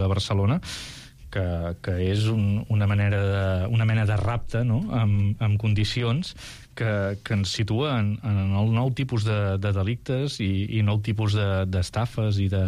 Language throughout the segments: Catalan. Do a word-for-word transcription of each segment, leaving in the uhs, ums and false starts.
de Barcelona, que, que és un, una, manera de, una mena de rapte, no?, amb, amb condicions que, que ens situa en, en el nou tipus de, de delictes i, i nou tipus d'estafes de, i, de,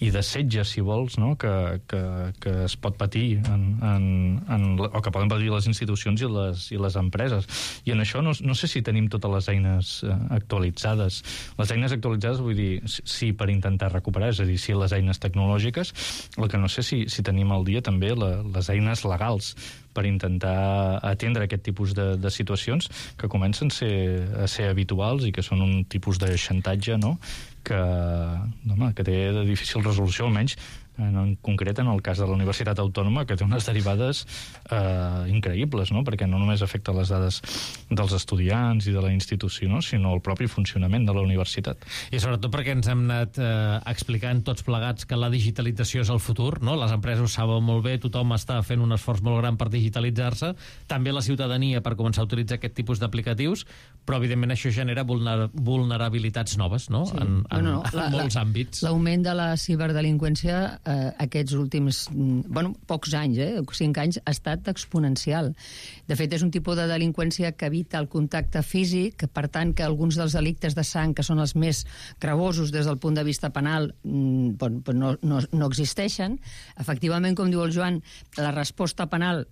i de setges, si vols, no?, que, que, que es pot patir en, en, en, o que poden patir les institucions i les, i les empreses. I en això no, no sé si tenim totes les eines actualitzades. Les eines actualitzades, vull dir, sí, per intentar recuperar, és a dir, sí, les eines tecnològiques, el que no sé si, si tenim al dia també la, les eines legals per intentar atendre aquest tipus de, de situacions que comencen a ser, a ser habituals i que són un tipus de xantatge, no?, que, home, que té de difícil resolució, almenys en, en concret en el cas de la Universitat Autònoma, que té unes derivades eh, increïbles, no?, perquè no només afecta les dades dels estudiants i de la institució, no?, sinó el propi funcionament de la universitat. I sobretot perquè ens hem anat eh, explicant tots plegats que la digitalització és el futur, no? Les empreses ho saben molt bé, tothom està fent un esforç molt gran per digitalitzar-se, també la ciutadania per començar a utilitzar aquest tipus d'aplicatius, però evidentment això genera vulner vulnerabilitats noves, no?, sí. en, en, no, no. en la, molts la, àmbits. L'augment de la ciberdelinqüència eh, aquests últims, bueno, pocs anys, eh, cinc anys, ha estat exponencial. De fet, és un tipus de delinqüència que evita el contacte físic, que, per tant, que alguns dels delictes de sang, que són els més gravosos des del punt de vista penal, mm, bon, no, no, no existeixen. Efectivament, com diu el Joan, la resposta penal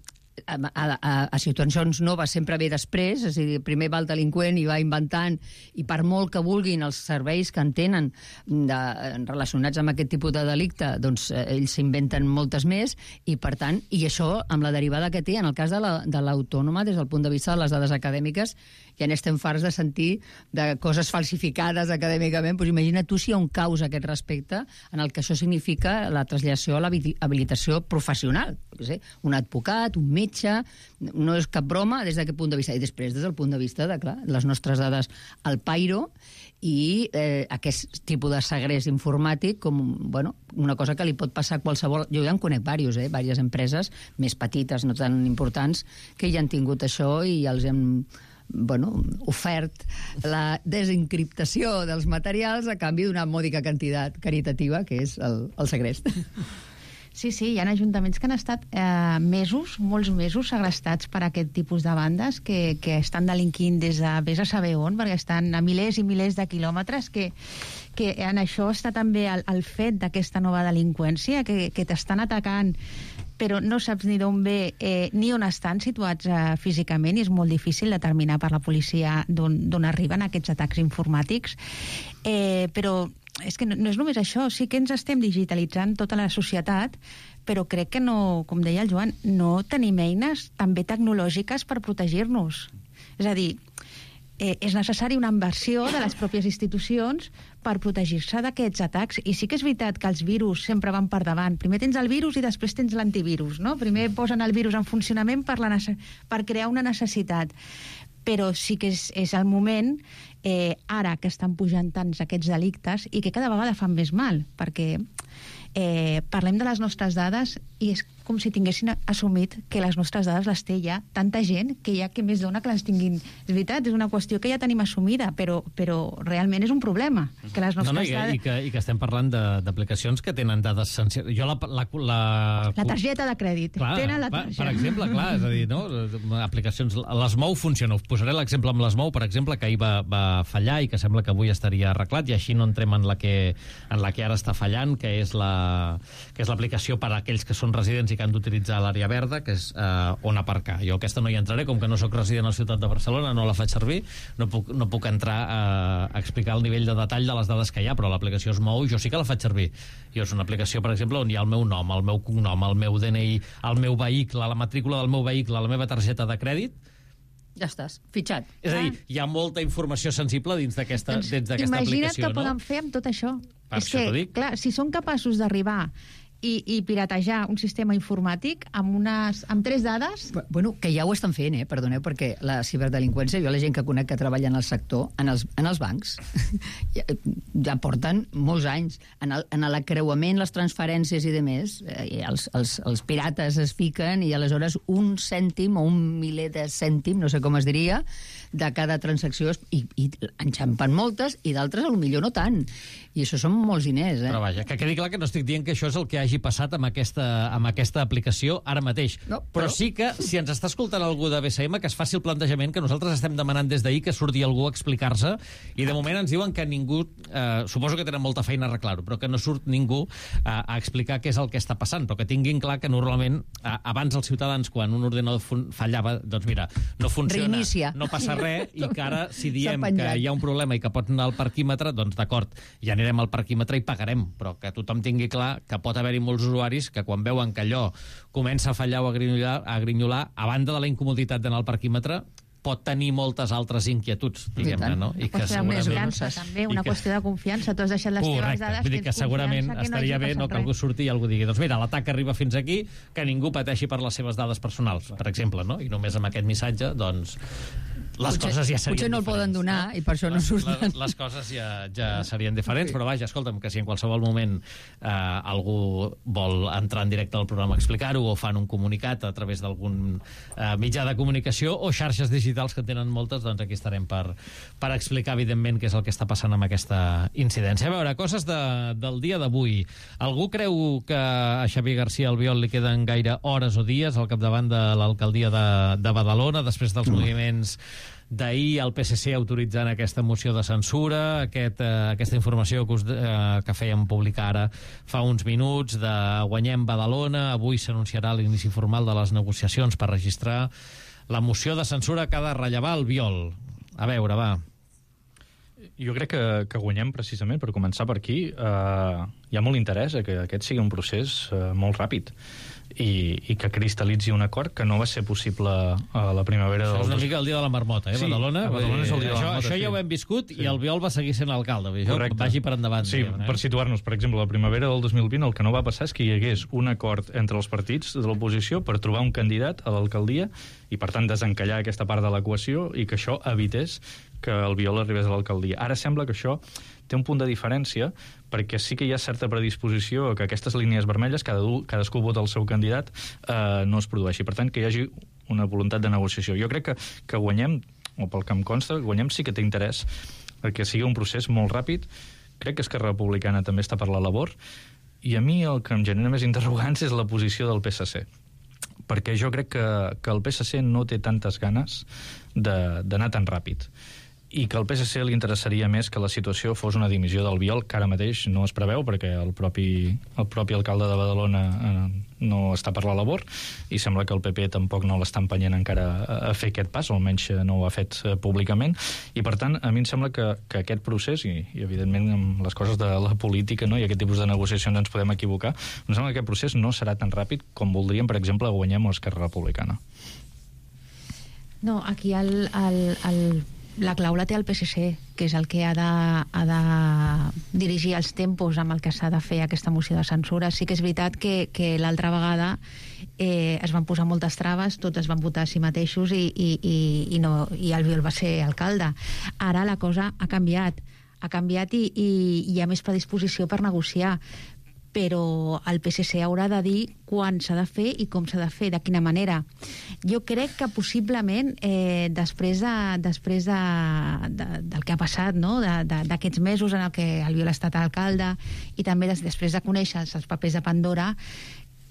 a, a, a situacions noves sempre ve després, és a dir, primer va el delinqüent i va inventant, i per molt que vulguin els serveis que en tenen de, relacionats amb aquest tipus de delicte, doncs eh, ells s'inventen moltes més, i per tant, i això amb la derivada que té en el cas de l'Autònoma, la, des del punt de vista de les dades acadèmiques, ja n'estem farts de sentir de coses falsificades acadèmicament, doncs imagina tu si hi ha un caos a aquest respecte, en el que això significa la traslació a l'habilitació professional, sé, un advocat, un metge, no és cap broma des d'aquest punt de vista, i després des del punt de vista de, clar, les nostres dades al pairo i eh, aquest tipus de segrest informàtic com, bueno, una cosa que li pot passar a qualsevol... Jo ja en conec diversos, eh, diverses empreses més petites, no tan importants, que ja han tingut això i ja els hem bueno, ofert la desencriptació dels materials a canvi d'una mòdica quantitat caritativa que és el, el segrest. Sí, sí, hi ha ajuntaments que han estat eh, mesos, molts mesos, segrestats per aquest tipus de bandes que, que estan delinquint des de vés a saber on, perquè estan a milers i milers de quilòmetres, que, que en això està també el, el fet d'aquesta nova delinqüència, que, que t'estan atacant però no saps ni d'on ve eh, ni on estan situats eh, físicament, i és molt difícil determinar per la policia d'on arriben aquests atacs informàtics. Eh, però és que no, no és només això, sí que ens estem digitalitzant tota la societat, però crec que no, com deia el Joan, no tenim eines també tecnològiques per protegir-nos. És a dir, eh, és necessari una inversió de les pròpies institucions per protegir-se d'aquests atacs. I sí que és veritat que els virus sempre van per davant. Primer tens el virus i després tens l'antivirus, no? Primer posen el virus en funcionament per, la per crear una necessitat. Però sí que és, és el moment, eh, ara que estan pujant tants aquests delictes i que cada vegada fan més mal, perquè eh, parlem de les nostres dades i és com si tinguessin assumit que les nostres dades les té ja tanta gent que ja que més dona que les tinguin. És veritat, és una qüestió que ja tenim assumida, però, però realment és un problema que les nostres no, no, i, dades... i, que, i que estem parlant d'aplicacions que tenen dades sensibles. Jo la, la, la... la targeta de crèdit. Clar, tenen la targeta. Per exemple, clar, és a dir, no? Aplicacions, l'Smou funciona. Us posaré l'exemple amb l'Smou, per exemple, que ahir va, va fallar i que sembla que avui estaria arreglat, i així no entrem en la que, en la que ara està fallant, que és la que és l'aplicació per a aquells que són residents i que han d'utilitzar l'àrea verda, que és eh, on aparcar. Jo aquesta no hi entraré, com que no sóc resident a la ciutat de Barcelona, no la faig servir, no puc, no puc entrar a, a explicar el nivell de detall de les dades que hi ha, però l'aplicació Smou jo sí que la faig servir. Jo és una aplicació, per exemple, on hi ha el meu nom, el meu cognom, el meu D N I, el meu vehicle, la matrícula del meu vehicle, la meva targeta de crèdit. Ja estàs, fitxat. És a dir, hi ha molta informació sensible dins d'aquesta doncs, aplicació, imagina't no? Què poden fer amb tot això. Per és això que, clar, si són capaços d'arribar i, i piratejar un sistema informàtic amb, unes, amb tres dades... Bueno, que ja ho estan fent, eh? Perdoneu, perquè la ciberdelinqüència, jo la gent que conec que treballa en el sector, en els, en els bancs, ja, ja porten molts anys. En, el, en l'acreuament, les transferències i demés, eh, els, els, els pirates es fiquen i aleshores un cèntim o un miler de cèntim, no sé com es diria, de cada transacció, i, i enxampen moltes, i d'altres potser no tant. I això són molts diners, eh? Però vaja, que quedi clar que no estic dient que això és el que hagi hagi passat amb aquesta, amb aquesta aplicació ara mateix. No, però... però sí que, si ens està escoltant algú de B C M, que es faci el plantejament que nosaltres estem demanant des d'ahir que surti algú a explicar-se, i de moment ens diuen que ningú, eh, suposo que tenen molta feina a arreglar-ho, però que no surt ningú a, a explicar què és el que està passant, però que tinguin clar que normalment, a, abans els ciutadans, quan un ordenador fallava, doncs mira, no funciona, reinicia, no passa res, i que ara, si diem que penjat. hi ha un problema i que pot anar al parquímetre, doncs d'acord, ja anirem al parquímetre i pagarem, però que tothom tingui clar que pot haver-hi molts usuaris que quan veuen que allò comença a fallar o a grinyolar, a, grinyolar, a banda de la incomoditat d'anar al parquímetre, pot tenir moltes altres inquietuds, diguem-ne, no? I que segurament... Confiança, també, una que... qüestió de confiança. Tu has deixat les Correcte. teves dades, Vull dir que segurament que estaria no bé no, que algú surti i algú digui doncs mira, l'atac arriba fins aquí, que ningú pateixi per les seves dades personals, per exemple, no? I només amb aquest missatge, doncs, les potser, coses ja serien potser no el poden donar, no? i per això no surten. Les, les coses ja, ja serien diferents, però vaja, escolta'm, que si en qualsevol moment eh, algú vol entrar en directe al programa a explicar-ho, o fan un comunicat a través d'algun eh, mitjà de comunicació o xarxes digitals que tenen moltes, doncs aquí estarem per, per explicar, evidentment, què és el que està passant amb aquesta incidència. A veure, coses de, del dia d'avui. Algú creu que a Xavier García Albiol li queden gaire hores o dies al capdavant de l'alcaldia de, de Badalona, després dels mm. moviments d'ahir, el P S C autoritzant aquesta moció de censura, aquest, eh, aquesta informació que, us, eh, que fèiem publicar ara fa uns minuts de Guanyem Badalona. Avui s'anunciarà l'inici formal de les negociacions per registrar la moció de censura que ha de rellevar Albiol. A veure, va. Jo crec que, que guanyem precisament, per començar per aquí, eh, hi ha molt interès a que aquest sigui un procés eh, molt ràpid i, i que cristal·litzi un acord que no va ser possible a la primavera del... Això és una dos... mica el dia de la marmota, eh, sí, Badalona? Badalona és el dia de la això, marmota, això ja sí. ho hem viscut, sí. I Albiol va seguir sent alcalde. Correcte. Vagi per endavant. Sí, diguem, eh? per situar-nos, per exemple, la primavera del dos mil vint el que no va passar és que hi hagués un acord entre els partits de l'oposició per trobar un candidat a l'alcaldia i, per tant, desencallar aquesta part de l'equació i que això evités que Albiol arribés a l'alcaldia. Ara sembla que això té un punt de diferència perquè sí que hi ha certa predisposició a que aquestes línies vermelles, cada, cadascú vota el seu candidat, eh, no es produeixi. Per tant, que hi hagi una voluntat de negociació. Jo crec que, que guanyem, o pel que em consta, guanyem sí que té interès que sigui un procés molt ràpid. Crec que Esquerra Republicana també està per la labor, i a mi el que em genera més interrogants és la posició del P S C, perquè jo crec que, que el P S C no té tantes ganes d'anar tan ràpid, i que al P S C li interessaria més que la situació fos una dimissió d'Albiol, que ara mateix no es preveu, perquè el propi, el propi alcalde de Badalona eh, no està per la labor, i sembla que el P P tampoc no l'està empenyent encara a, a fer aquest pas, o almenys no ho ha fet eh, públicament, i per tant, a mi em sembla que, que aquest procés, i, i evidentment amb les coses de la política, no, i aquest tipus de negociacions ens podem equivocar, em sembla que aquest procés no serà tan ràpid com voldríem, per exemple, Guanyem o Esquerra Republicana. No, aquí el... el, el... la clau la té el P S C, que és el que ha de, ha de dirigir els tempos amb el que s'ha de fer aquesta moció de censura. Sí que és veritat que, que l'altra vegada eh, es van posar moltes traves, tots es van votar a si mateixos i, i, i, i, no, i Albiol va ser alcalde. Ara la cosa ha canviat, ha canviat i, i hi ha més predisposició per negociar, però el P S C haurà de dir quan s'ha de fer i com s'ha de fer, de quina manera. Jo crec que possiblement eh, després, de, després de, de, del que ha passat, no? d'aquests mesos en el que Albiol ha estat alcalde i també des, després de conèixer els papers de Pandora,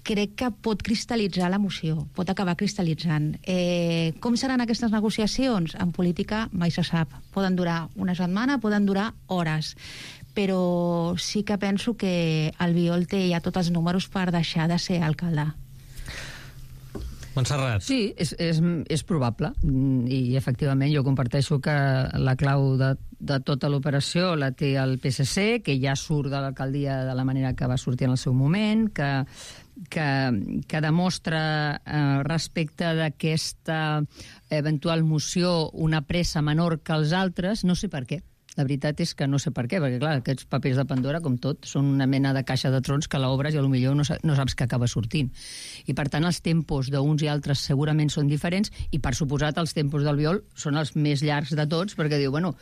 crec que pot cristal·litzar la moció, pot acabar cristal·litzant. Eh, com seran aquestes negociacions? En política mai se sap. Poden durar una setmana, poden durar hores, però sí que penso que Albiol té ja tots els números per deixar de ser alcalde. Montserrat. Sí, és, és, és probable, i efectivament jo comparteixo que la clau de, de tota l'operació la té el P S C, que ja surt de l'alcaldia de la manera que va sortir en el seu moment, que, que, que demostra eh, respecte d'aquesta eventual moció una pressa menor que els altres, no sé per què. La veritat és que no sé per què, perquè clar, aquests papers de Pandora, com tot, són una mena de caixa de trons que l'obres i potser no, no saps que acaba sortint. I per tant els tempos d'uns i altres segurament són diferents, i per suposat els tempos d'Albiol són els més llargs de tots, perquè diu, bueno,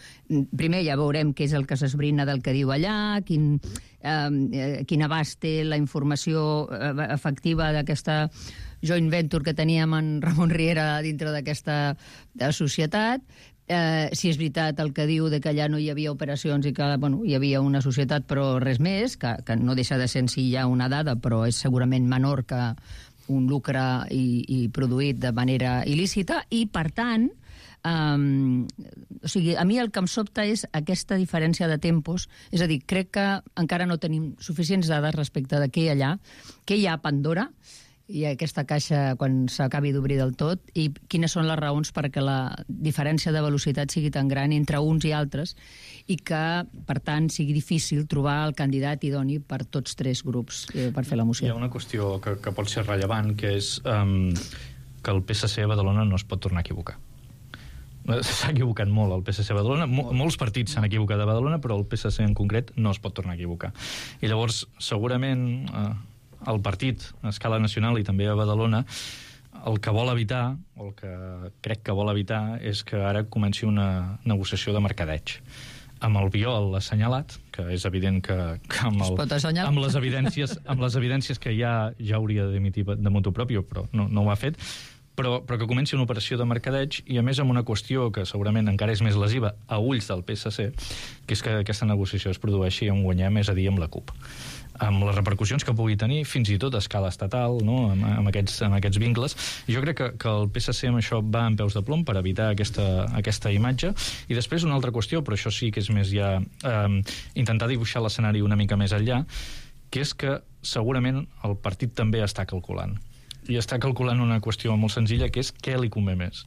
primer ja veurem què és el que s'esbrina del que diu allà, quin, eh, quin abast té la informació efectiva d'aquesta joint venture que teníem en Ramon Riera dintre d'aquesta societat. Eh, si és veritat el que diu de que allà no hi havia operacions i que bueno, hi havia una societat però res més, que, que no deixa de ser en si ja una dada, però és segurament menor que un lucre i, i produït de manera il·lícita, i per tant Um, o sigui, a mi el que em sobta és aquesta diferència de tempos, és a dir, crec que encara no tenim suficients dades respecte de què hi ha allà, què hi ha a Pandora, i aquesta caixa quan s'acabi d'obrir del tot, i quines són les raons perquè la diferència de velocitat sigui tan gran entre uns i altres, i que, per tant, sigui difícil trobar el candidat idoni per tots tres grups eh, per fer la moció. Hi ha una qüestió que, que pot ser rellevant, que és um, que el P S C a Badalona no es pot tornar a equivocar. S'ha equivocat molt el P S C a Badalona. Mol, molts partits s'han equivocat a Badalona, però el P S C en concret no es pot tornar a equivocar. I llavors, segurament, eh, el partit a escala nacional i també a Badalona, el que vol evitar, o el que crec que vol evitar, és que ara comenci una negociació de mercadeig. Amb el Biol assenyalat, que és evident que, que amb, el, amb, les evidències, amb les evidències que ja, ja hauria de dimitir de motu propio, però no, no ho ha fet, Però, però que comenci una operació de mercadeig, i a més amb una qüestió que segurament encara és més lesiva a ulls del P S C, que és que aquesta negociació es produeixi on guanyem, és a dir, amb la CUP. Amb les repercussions que pugui tenir, fins i tot a escala estatal, no? amb, amb, aquests, amb aquests vincles. Jo crec que, que el P S C amb això va en peus de plom per evitar aquesta, aquesta imatge. I després una altra qüestió, però això sí que és més ja eh, intentar dibuixar l'escenari una mica més enllà, que és que segurament el partit també està calculant. I està calculant una qüestió molt senzilla, que és què li convé més.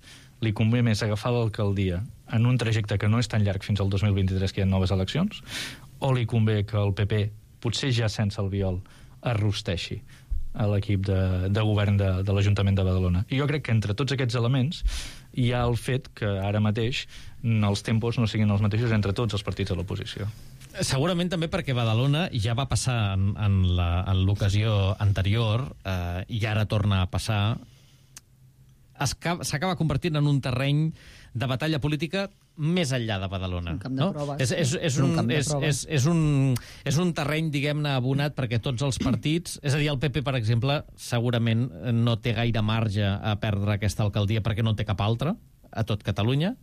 Li convé més agafar l'alcaldia en un trajecte que no és tan llarg fins al dos mil vint-i-tres, que hi ha noves eleccions, o li convé que el P P, potser ja sense el Biol, es rosteixi a l'equip de, de govern de, de l'Ajuntament de Badalona. I jo crec que entre tots aquests elements hi ha el fet que ara mateix els tempos no siguin els mateixos entre tots els partits de l'oposició. Segurament també perquè Badalona ja va passar en, en la, en l'ocasió anterior eh, i ara torna a passar. S'acaba convertint en un terreny de batalla política més enllà de Badalona. Un camp de no? proves. És, és, és, un, un és, és, és, un, és un terreny, diguem-ne, abonat perquè tots els partits... És a dir, el P P, per exemple, segurament no té gaire marge a perdre aquesta alcaldia perquè no té cap altra a tot Catalunya.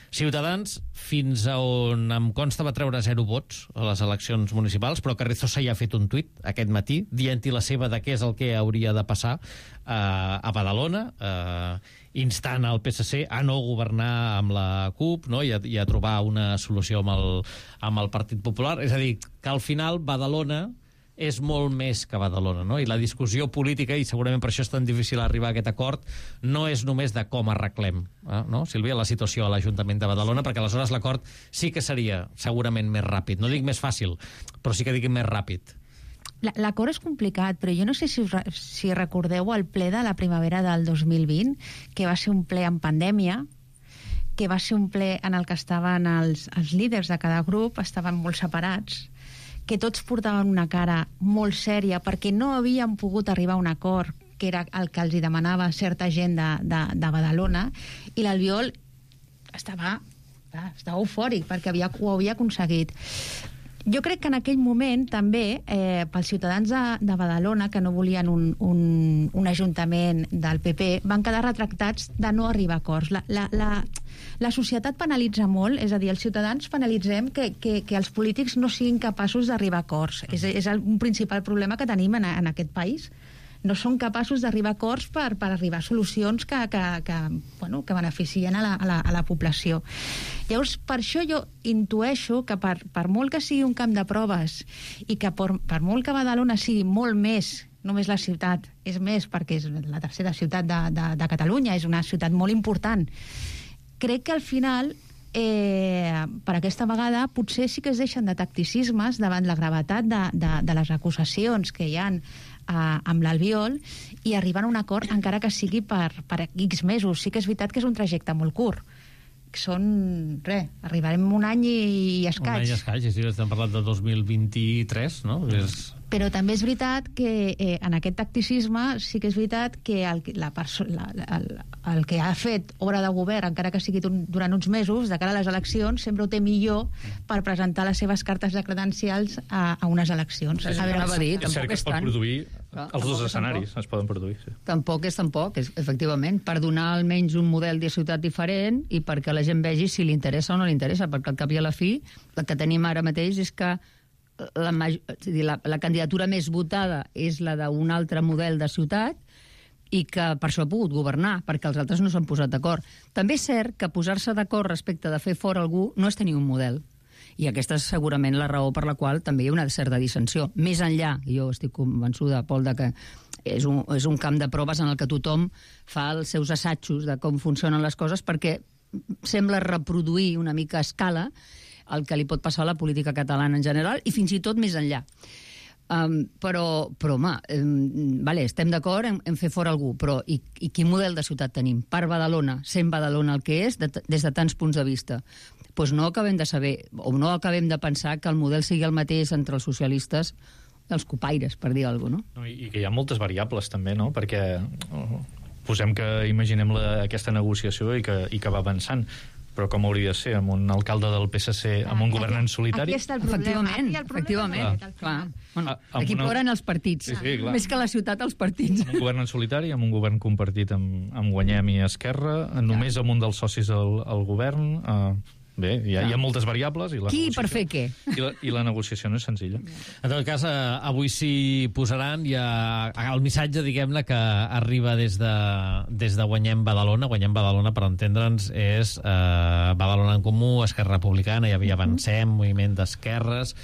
Ciutadans, fins a on em consta, va treure zero vots a les eleccions municipals, però Carrizosa ja ha fet un tuit aquest matí dient-hi la seva de què és el que hauria de passar eh, a Badalona, eh, instant al P S C a no governar amb la CUP, no? I, a, i a trobar una solució amb el, amb el Partit Popular. És a dir, que al final Badalona és molt més que Badalona, no? I la discussió política, i segurament per això és tan difícil arribar a aquest acord, no és només de com arreglem, eh? no, Sílvia, la situació a l'Ajuntament de Badalona, perquè aleshores l'acord sí que seria segurament més ràpid. No dic més fàcil, però sí que dic més ràpid. L'acord és complicat, però jo no sé si, us, si recordeu el ple de la primavera del dos mil vint, que va ser un ple en pandèmia, que va ser un ple en el que estaven els, els líders de cada grup, estaven molt separats, que tots portaven una cara molt sèria perquè no havien pogut arribar a un acord, que era el que els hi demanava certa gent de, de, de Badalona, i l'Albiol estava, estava eufòric perquè havia, ho havia aconseguit. Jo crec que en aquell moment també, eh, pels ciutadans de, de Badalona, que no volien un, un, un ajuntament del P P, van quedar retractats de no arribar a acords. La, la, la, la societat penalitza molt, és a dir, els ciutadans penalitzem que, que, que els polítics no siguin capaços d'arribar a acords. És, és el, un principal problema que tenim en, en aquest país. No són capaços d'arribar a acords per, per arribar a solucions que, que, que, bueno, que beneficien a la, a, la, a la població. Llavors, per això jo intueixo que per, per molt que sigui un camp de proves i que per, per molt que Badalona sigui molt més, només la ciutat, és més perquè és la tercera ciutat de, de, de Catalunya, és una ciutat molt important, crec que al final eh, per aquesta vegada potser sí que es deixen de tacticismes davant la gravetat de, de, de les acusacions que hi ha Uh, amb l'Albiol i arribar a un acord encara que sigui per, per X mesos. Sí que és veritat que és un trajecte molt curt. Són, res, arribarem un any i, i escaig. Un any i escaig, sí, estem parlant de dos mil vint-i-tres, no? És... Però també és veritat que eh, en aquest tacticisme sí que és veritat que el, la la, el, el que ha fet obra de govern, encara que sigui un, durant uns mesos, de cara a les eleccions, sempre ho té millor per presentar les seves cartes de credencials a, a unes eleccions. Sí, sí, a veure, va dir, és cert que es pot produir Clar, Els dos tampoc és escenaris tampoc. es poden produir, sí. Tampoc és tampoc, és, efectivament, per donar almenys un model de ciutat diferent i perquè la gent vegi si li interessa o no li interessa, perquè al cap i a la fi el que tenim ara mateix és que la, és dir, la, la candidatura més votada és la d'un altre model de ciutat i que per això ha pogut governar, perquè els altres no s'han posat d'acord. També és cert que posar-se d'acord respecte de fer fora algú no és tenir un model. I aquesta és segurament la raó per la qual també hi ha una certa dissensió. Més enllà, i jo estic convençuda, Pol, de que és un, és un camp de proves en el que tothom fa els seus assajos de com funcionen les coses perquè sembla reproduir una mica a escala el que li pot passar a la política catalana en general i fins i tot més enllà. Um, però, però, home, um, vale, estem d'acord en, en fer fora algú, però i, i quin model de ciutat tenim? Per Badalona, sent Badalona el que és, de, des de tants punts de vista. Doncs pues no acabem de saber, o no acabem de pensar que el model sigui el mateix entre els socialistes i els copaires, per dir alguna cosa, no? no? I que hi ha moltes variables, també, no? Perquè oh, posem que imaginem la, aquesta negociació i que, i que va avançant, però com hauria de ser amb un alcalde del P S C, amb un governant solitari? Aquí està el problema. Efectivament, el problema efectivament. és Clar. Bueno, Ah, amb aquí una- ploren els partits. Sí, sí, clar. Més que la ciutat, els partits. Amb un govern en solitari, amb un govern compartit amb, amb Guanyem i Esquerra, només amb un dels socis al, al govern... Eh, bé, hi ha, hi ha moltes variables i la Qui negociació- per fer què? I la, I la negociació no és senzilla. En tot cas, eh, avui s'hi posaran i eh, el missatge, diguem-ne, que arriba des de, des de Guanyem Badalona. Guanyem Badalona, per entendre'ns, és eh, Badalona en Comú, Esquerra Republicana, hi havia Avancem, Moviment d'Esquerres,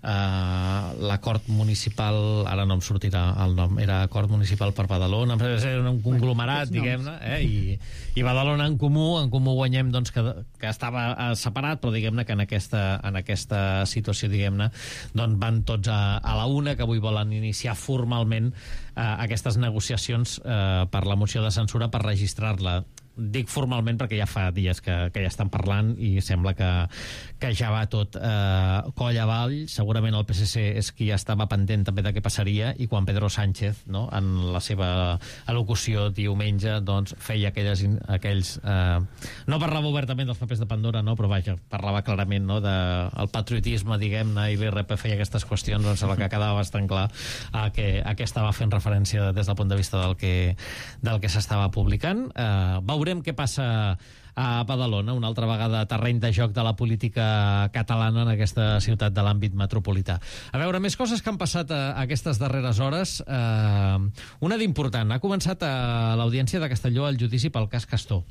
Uh, l'acord municipal, ara no em sortirà el nom, era acord municipal per Badalona, era un conglomerat, bueno, diguem-ne, eh? I, i Badalona en Comú, en Comú Guanyem, doncs, que, que estava uh, separat, però diguem-ne que en aquesta, en aquesta situació, diguem-ne, doncs van tots a, a la una, que avui volen iniciar formalment uh, aquestes negociacions uh, per la moció de censura per registrar-la. Dic formalment perquè ja fa dies que, que ja estan parlant i sembla que, que ja va tot eh, coll avall. Segurament el P S C és qui estava pendent també de què passaria i quan Pedro Sánchez, no, en la seva al·locució diumenge, doncs, feia aquelles, aquells... Eh, no parlava obertament dels papers de Pandora, no, però vaja, parlava clarament, no, del patriotisme, diguem-ne, i l'I R P feia aquestes qüestions, doncs sembla que quedava bastant clar a què, a què estava fent referència des del punt de vista del que, del que s'estava publicant. Eh, veurem Veurem què passa a Badalona, una altra vegada terreny de joc de la política catalana en aquesta ciutat de l'àmbit metropolità. A veure, més coses que han passat a, a aquestes darreres hores. Eh, una d'important. Ha començat a l'Audiència de Castelló el judici pel cas Castor.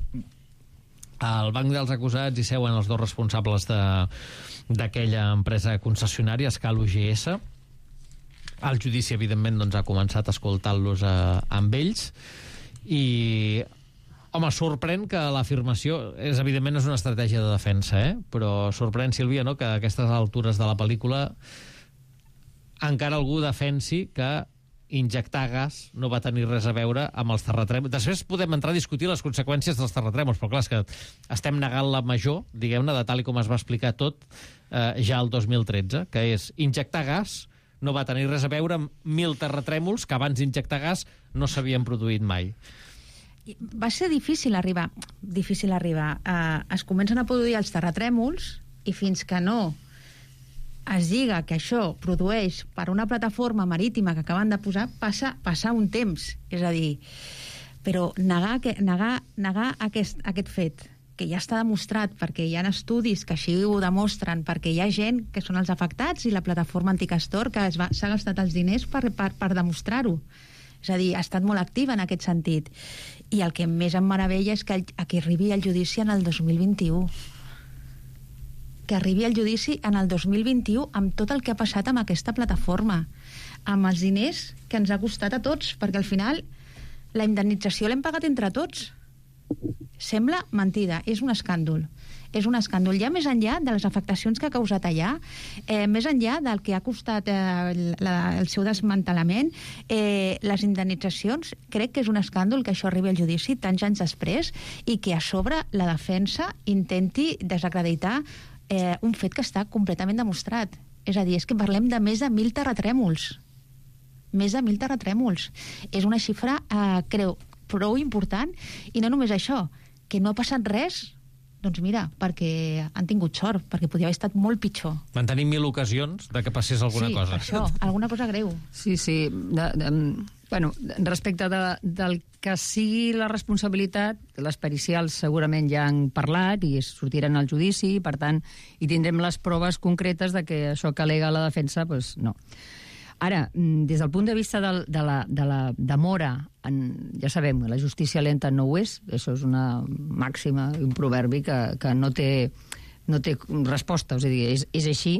Al banc dels acusats hi seuen els dos responsables d'aquella empresa concessionària, Escal U G S. El judici, evidentment, doncs, ha començat escoltant-los eh, amb ells i... Home, sorprèn que l'afirmació... És, evidentment, és una estratègia de defensa, eh? Però sorprèn, Sílvia, no?, que a aquestes altures de la pel·lícula encara algú defensi que injectar gas no va tenir res a veure amb els terratrèmols. Després podem entrar a discutir les conseqüències dels terratrèmols, però clar, és que estem negant la major, diguem-ne, de tal i com es va explicar tot eh, ja el dos mil tretze, que és injectar gas no va tenir res a veure amb mil terratrèmols que abans d'injectar gas no s'havien produït mai. Va ser difícil arribar. Difícil arribar. Uh, es comencen a produir els terratrèmols i fins que no es diga que això produeix per una plataforma marítima que acaben de posar, passa, passa un temps. És a dir, però negar, que, negar, negar aquest, aquest fet, que ja està demostrat, perquè hi ha estudis que així ho demostren, perquè hi ha gent que són els afectats i la plataforma Anticastor que s'ha gastat els diners per, per, per demostrar-ho. És a dir, ha estat molt activa en aquest sentit. I el que més em meravella és que, el, que arribi el judici en el dos mil vint-i-u. Que arribi el judici en el dos mil vint-i-u amb tot el que ha passat amb aquesta plataforma, amb els diners que ens ha costat a tots, perquè al final la indemnització l'hem pagat entre tots. Sembla mentida, és un escàndol. És un escàndol. Ja més enllà de les afectacions que ha causat allà, eh, més enllà del que ha costat eh, la, el seu desmantelament, eh, les indemnitzacions, crec que és un escàndol que això arribi al judici tants anys després i que a sobre la defensa intenti desacreditar eh, un fet que està completament demostrat. És a dir, és que parlem de més de mil terratrèmols. Més de mil terratrèmols. És una xifra, eh, creu, prou important, i no només això, que no ha passat res Doncs mira, perquè han tingut sort, perquè podia haver estat molt pitjor. Van tenir mil ocasions de que passés alguna sí, cosa. Sí, això, alguna cosa greu. Sí, sí. De, de, bueno, respecte de, del que sigui la responsabilitat, les pericials segurament ja han parlat i sortiran al judici, per tant, hi tindrem les proves concretes de que això que al·lega la defensa, doncs no. Ara, des del punt de vista de, de la, de la demora, en, ja sabem que la justícia lenta no ho és, això és una màxima, un proverbi que, que no, té, no té resposta, és a dir, és, és així,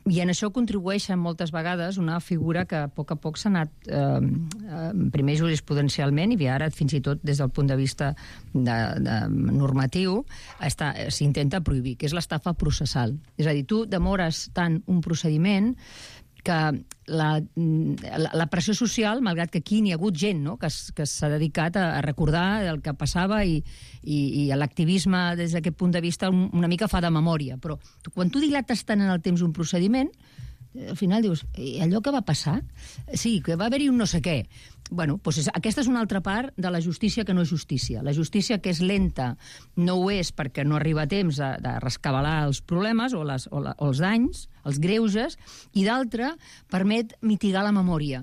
i en això contribueix moltes vegades una figura que a poc a poc s'ha anat eh, primer jurisprudencialment i ara fins i tot des del punt de vista de, de normatiu s'intenta prohibir, que és l'estafa processal. És a dir, tu demores tant un procediment que la, la, la pressió social, malgrat que aquí n'hi ha hagut gent, no?, que, que s'ha dedicat a, a recordar el que passava i, i, i l'activisme des d'aquest punt de vista una mica fa de memòria, però tu, quan tu dilates tant en el temps un procediment, al final dius, allò que va passar? Sí, que va haver-hi un no sé què. Bueno, doncs aquesta és una altra part de la justícia que no és justícia. La justícia que és lenta no ho és perquè no arriba a temps de, de rescabalar els problemes o, les, o, la, o els danys, els greuges, i d'altra permet mitigar la memòria.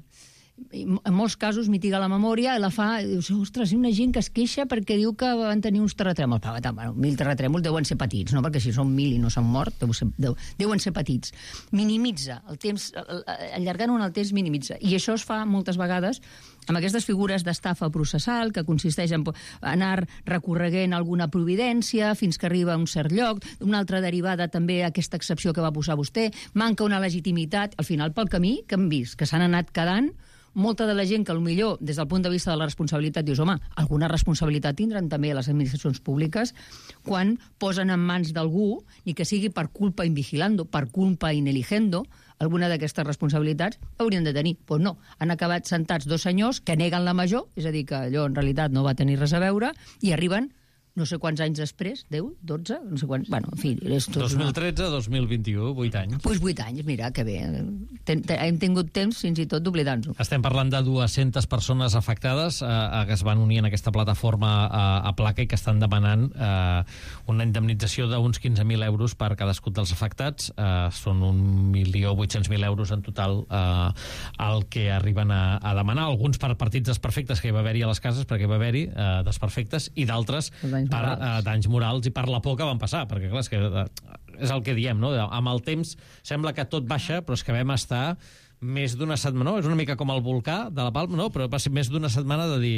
En molts casos mitiga la memòria i la fa, i dius, ostres, hi ha una gent que es queixa perquè diu que van tenir uns terratrèmols. Bueno, mil terratrèmols deuen ser petits, no? Perquè si són mil i no s'han mort, deu ser, deu, deuen ser petits. Minimitza el temps, allargant-ho en el temps minimitza. I això es fa moltes vegades amb aquestes figures d'estafa processal que consisteix en anar recorreguent alguna providència fins que arriba a un cert lloc, una altra derivada també a aquesta excepció que va posar vostè, manca una legitimitat, al final pel camí que hem vist, que s'han anat quedant molta de la gent que potser des del punt de vista de la responsabilitat dius, home, alguna responsabilitat tindran també les administracions públiques quan posen en mans d'algú, ni que sigui per culpa invigilando, per culpa ineligendo, alguna d'aquestes responsabilitats haurien de tenir. Doncs no, han acabat sentats dos senyors que neguen la major, és a dir, que allò en realitat no va tenir res a veure, i arriben no sé quants anys després, deu, dotze, no sé quants, bueno, en fi... És tot dos mil tretze, dos mil vint-i-u, vuit anys. Doncs pues vuit anys, mira, que bé. Ten, ten, hem tingut temps fins i tot d'oblidar-nos-ho. Estem parlant de dues-centes persones afectades eh, que es van unir en aquesta plataforma a, a placa i que estan demanant eh, una indemnització d'uns quinze mil euros per cadascun dels afectats. Eh, són un milió vuit-cents mil euros en total eh, el que arriben a, a demanar. Alguns per partits desperfectes que hi va haver-hi a les cases, perquè hi va haver-hi eh, desperfectes, i d'altres per uh, danys morals i per la por que van passar, perquè clar, és, que, uh, és el que diem, no? Amb el temps sembla que tot baixa, però és que vam estar més d'una setmana, no? És una mica com el volcà de la Palma, no? Però va ser més d'una setmana de dir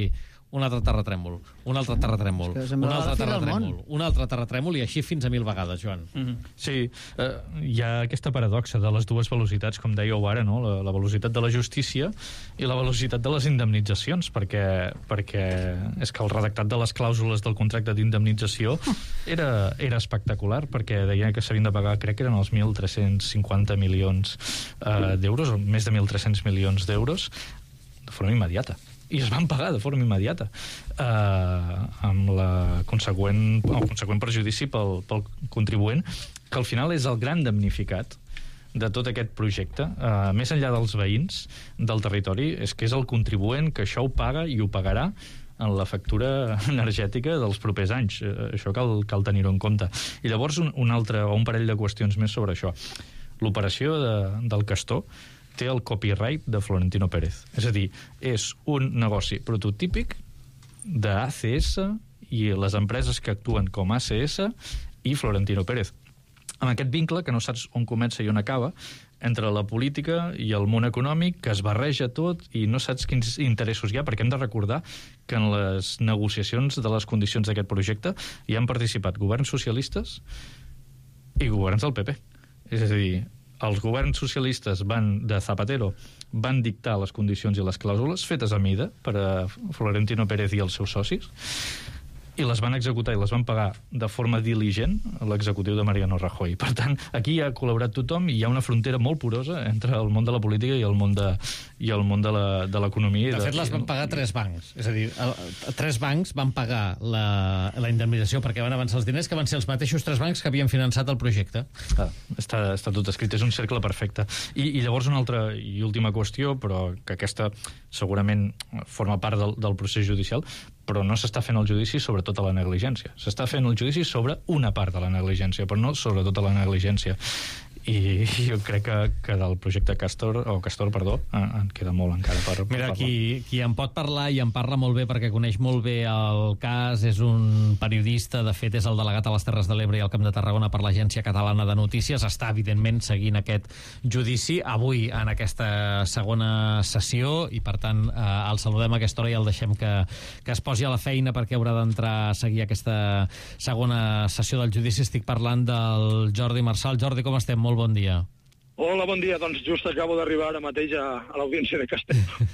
un altre terratrèmol, un altre terratrèmol, un altre terratrèmol, un altre terratrèmol, i així fins a mil vegades, Joan. Mm-hmm. Sí, eh, hi ha aquesta paradoxa de les dues velocitats, com dèieu ara, no? la, la velocitat de la justícia i la velocitat de les indemnitzacions, perquè, perquè és que el redactat de les clàusules del contracte d'indemnització era, era espectacular, perquè deia que s'havien de pagar, crec que eren els mil tres-cents cinquanta milions eh, d'euros, o més de mil tres-cents milions d'euros, de forma immediata. I es van pagar de forma immediata eh, amb la conseqüent, el conseqüent perjudici pel, pel contribuent, que al final és el gran damnificat de tot aquest projecte, eh, més enllà dels veïns del territori, és que és el contribuent que això ho paga i ho pagarà en la factura energètica dels propers anys. Eh, això cal, cal tenir-ho en compte. I llavors un, un altre, o un parell de qüestions més sobre això. L'operació de, del Castor té el copyright de Florentino Pérez. És a dir, és un negoci prototípic d'A C S i les empreses que actuen com A C S i Florentino Pérez. Amb aquest vincle, que no saps on comença i on acaba, entre la política i el món econòmic, que es barreja tot i no saps quins interessos hi ha, perquè hem de recordar que en les negociacions de les condicions d'aquest projecte hi han participat governs socialistes i governs del P P. És a dir, els governs socialistes van de Zapatero van dictar les condicions i les clàusules fetes a mida per a Florentino Pérez i els seus socis, i les van executar i les van pagar de forma diligent a l'executiu de Mariano Rajoy. Per tant, aquí ha col·laborat tothom i hi ha una frontera molt porosa entre el món de la política i el món de, i el món de l'economia. De, de fet, les van pagar tres bancs. És a dir, el, tres bancs van pagar la, la indemnització perquè van avançar els diners, que van ser els mateixos tres bancs que havien finançat el projecte. Ah, està, està tot escrit, és un cercle perfecte. I, i llavors una altra i última qüestió, però que aquesta segurament forma part del, del procés judicial. però no s'està fent el judici sobre tota la negligència. S'està fent el judici sobre una part de la negligència, però no sobre tota la negligència. I jo crec que, que del projecte Castor, o Castor, perdó, en, en queda molt encara per, per Mira, parlar. qui, qui en pot parlar, i en parla molt bé perquè coneix molt bé el cas, és un periodista, de fet és el delegat a les Terres de l'Ebre i al Camp de Tarragona per l'Agència Catalana de Notícies, està evidentment seguint aquest judici avui en aquesta segona sessió, i per tant eh, el saludem a aquesta hora i el deixem que, que es posi a la feina perquè haurà d'entrar a seguir aquesta segona sessió del judici. Estic parlant del Jordi Marçal. Jordi, com estem? Molt bon dia. Hola, bon dia. Doncs just acabo d'arribar ara mateix a, a l'audiència de Castelló.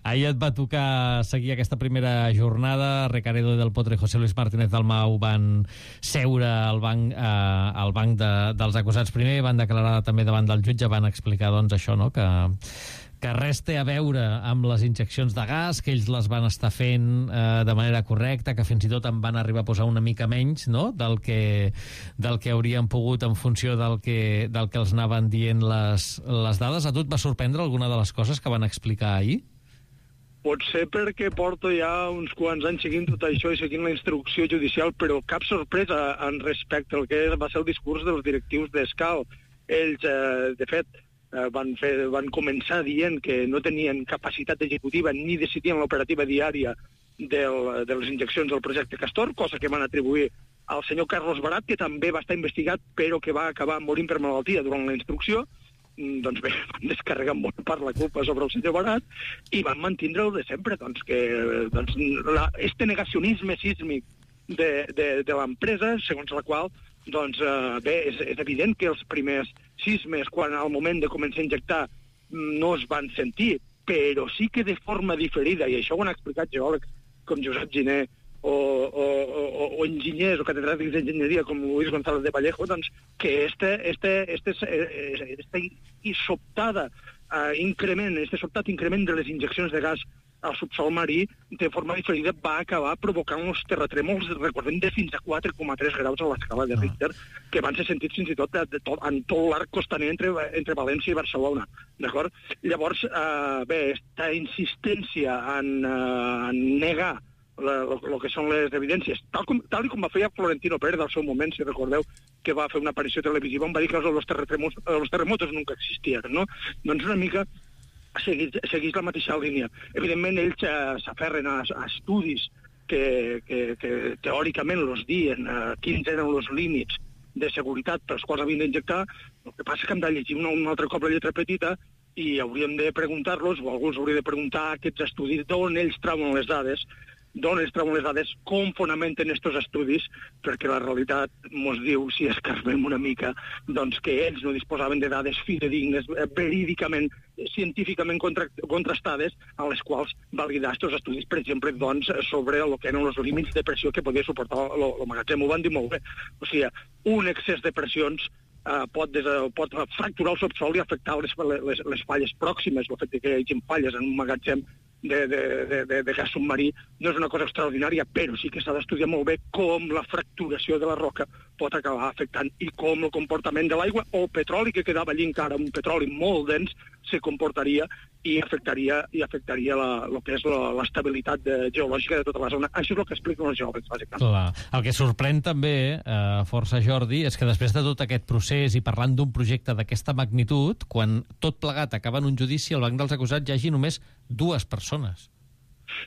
Ahir et va tocar seguir aquesta primera jornada. Recaredo del Potro i José Luis Martínez Dalmau van seure al banc, eh, al banc de, dels acusats primer, van declarar també davant del jutge, van explicar doncs això, no?, que que res té a veure amb les injeccions de gas, que ells les van estar fent eh, de manera correcta, que fins i tot en van arribar a posar una mica menys, no?, del que, del que haurien pogut en funció del que, del que els anaven dient les, les dades. A tu et va sorprendre alguna de les coses que van explicar ahir? Potser perquè porto ja uns quants anys seguint tot això i seguint la instrucció judicial, però cap sorpresa en respecte al que va ser el discurs dels directius d'Escal. Ells, eh, de fet, eh, van, fer, van començar dient que no tenien capacitat executiva ni decidien l'operativa diària del, de les injeccions del projecte Castor, cosa que van atribuir al senyor Carlos Barat, que també va estar investigat, però que va acabar morint per malaltia durant la instrucció. Doncs bé, van descarregar molt part la culpa sobre el senyor Barat i van mantindre el de sempre, doncs que doncs, la, este negacionisme sísmic de, de, de l'empresa, segons la qual, doncs eh, bé, és, és evident que els primers sismes, quan al moment de començar a injectar, no es van sentir, però sí que de forma diferida, i això ho han explicat geòlegs com Josep Giner, o, o, o, o enginyers o catedràtics d'enginyeria com Luis González de Vallejo, doncs que este, este, este, este, este sobtada uh, increment, este sobtat increment de les injeccions de gas al subsol marí, de forma diferida, va acabar provocant uns terratrèmols, recordem, de fins a quatre coma tres graus a l'escala de Richter, que van ser sentits fins i tot, de, de tot en tot l'arc costaner entre, entre València i Barcelona. D'acord? Llavors, eh, bé, aquesta insistència en, eh, en negar el que són les evidències, tal com, tal com va fer Florentino Pérez al seu moment, si recordeu, que va fer una aparició televisiva on va dir que els terremotos, els terremotos nunca existien, no? Doncs una mica segueix, segueix la mateixa línia. Evidentment, ells eh, s'aferren a, a estudis que, que, que teòricament els dien eh, quins eren els límits de seguretat pels quals havien d'injectar. El que passa que hem de llegir un, un altre cop la lletra petita i hauríem de preguntar-los, o alguns haurien de preguntar a aquests estudis d'on ells trauen les dades, d'on es treuen les dades, com fonamenten aquests estudis, perquè la realitat ens diu, si escarbem una mica, doncs que ells no disposaven de dades fidedignes, verídicament, científicament contra, contrastades, a les quals validar aquests estudis, per exemple, doncs, sobre el que eren els límits de pressió que podia suportar el magatzem. Ho van dir molt bé. O sigui, un excés de pressions Uh, pot, des, pot fracturar el subsol i afectar les, les, les falles pròximes. El fet que hi hagi falles en un magatzem de, de, de, de, de gas submarí no és una cosa extraordinària, però sí que s'ha d'estudiar molt bé com la fracturació de la roca pot acabar afectant i com el comportament de l'aigua o el petroli, que quedava allí encara, un petroli molt dens, se comportaria i afectaria, i afectaria la, el que és l'estabilitat geològica de tota la zona. Això és el que expliquen els geòlegs, bàsicament. Clar. El que sorprèn també, eh, força, Jordi, és que després de tot aquest procés i parlant d'un projecte d'aquesta magnitud, quan tot plegat acaba en un judici, al banc dels acusats hi hagi només dues persones.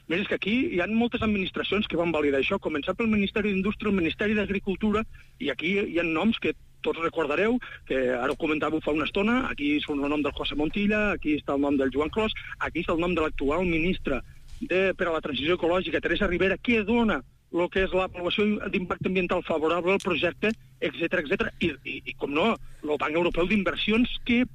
Mira, és que aquí hi ha moltes administracions que van validar això, començant pel Ministeri d'Indústria, el Ministeri d'Agricultura, i aquí hi ha noms que tots recordareu, que ara ho comentàveu fa una estona, aquí és el nom del José Montilla, aquí està el nom del Joan Clos, aquí està el nom de l'actual ministra de, per a la transició ecològica, Teresa Ribera, que dona el que és l'avaluació d'impacte ambiental favorable al projecte, etcètera, etcètera. I, i, i com no, el Banc Europeu d'Inversions, que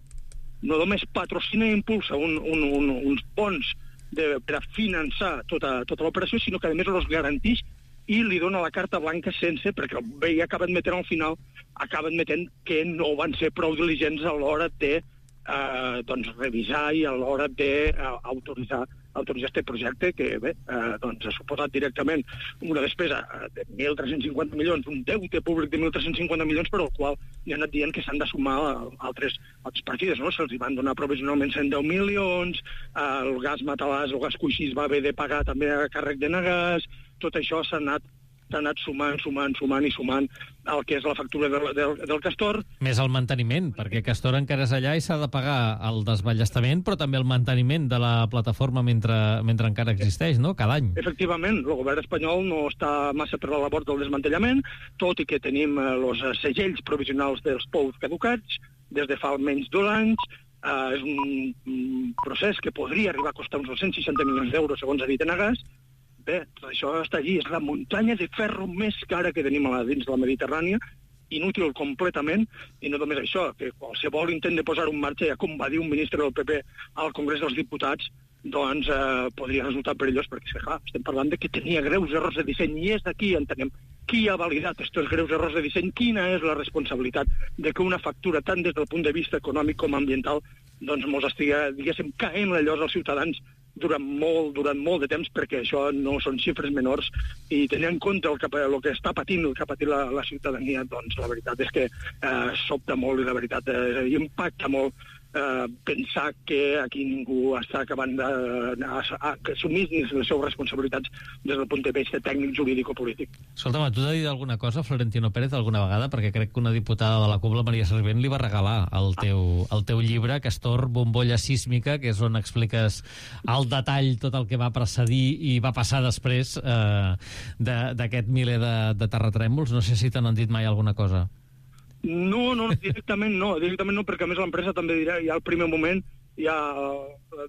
no només patrocina i impulsa un, un, un, uns bons de, per a finançar tota, tota l'operació, sinó que a més els garanteix i li dona la carta blanca sense, perquè bé, ja acaben metent al final, acaben metent que no van ser prou diligents a l'hora de eh, doncs, revisar i a l'hora d'autoritzar eh, autoritzar aquest projecte, que bé, eh, doncs, ha suposat directament una despesa de mil tres-cents cinquanta milions, un deute públic de mil tres-cents cinquanta milions, per al qual hi ha anat dient que s'han de sumar altres, altres partides, no? Se'ls van donar provisionalment cent deu milions, eh, el gas matalàs, el gas coixís va haver de pagar també a càrrec de Nagas, tot això s'ha anat s'ha anat sumant, sumant, sumant i sumant el que és la factura del, del, del Castor. Més el manteniment, perquè Castor encara és allà i s'ha de pagar el desballestament, però també el manteniment de la plataforma mentre, mentre encara existeix, no?, cada any. Efectivament, el govern espanyol no està massa per la labor del desmantellament, tot i que tenim els eh, segells provisionals dels pous caducats des de fa almenys dos anys. Eh, és un, un procés que podria arribar a costar uns dos cents seixanta milions d'euros, segons ha dit Enagás. Bé, tot això està allí, és la muntanya de ferro més cara que tenim a la, dins de la Mediterrània, inútil completament, i no només això, que qualsevol intent de posar en marxa, ja com va dir un ministre del P P al Congrés dels Diputats, doncs eh, podria resultar perillós, perquè clar, estem parlant de que tenia greus errors de disseny, i és d'aquí entenem qui ha validat aquests greus errors de disseny, quina és la responsabilitat de que una factura, tant des del punt de vista econòmic com ambiental, doncs mos estigui, diguéssim, caent la llosa als ciutadans durant molt, durant molt de temps, perquè això no són xifres menors, i tenint en compte el que, el que està patint, el que ha patit la, la ciutadania, doncs la veritat és que eh, sobta molt, i la veritat eh, impacta molt eh, pensar que aquí ningú està acabant d'assumir les seves responsabilitats des del punt de vista tècnic, jurídic o polític. Escolta'm, tu has dit alguna cosa, Florentino Pérez, alguna vegada? Perquè crec que una diputada de la C U P, la Maria Servient, li va regalar el teu, el teu llibre, Castor, bombolla sísmica, que és on expliques al detall tot el que va precedir i va passar després eh, d'aquest miler de, de terratrèmols. No sé si te n'han dit mai alguna cosa. No, no, directament no, directament no, perquè a més l'empresa també dirà, ja al primer moment ja,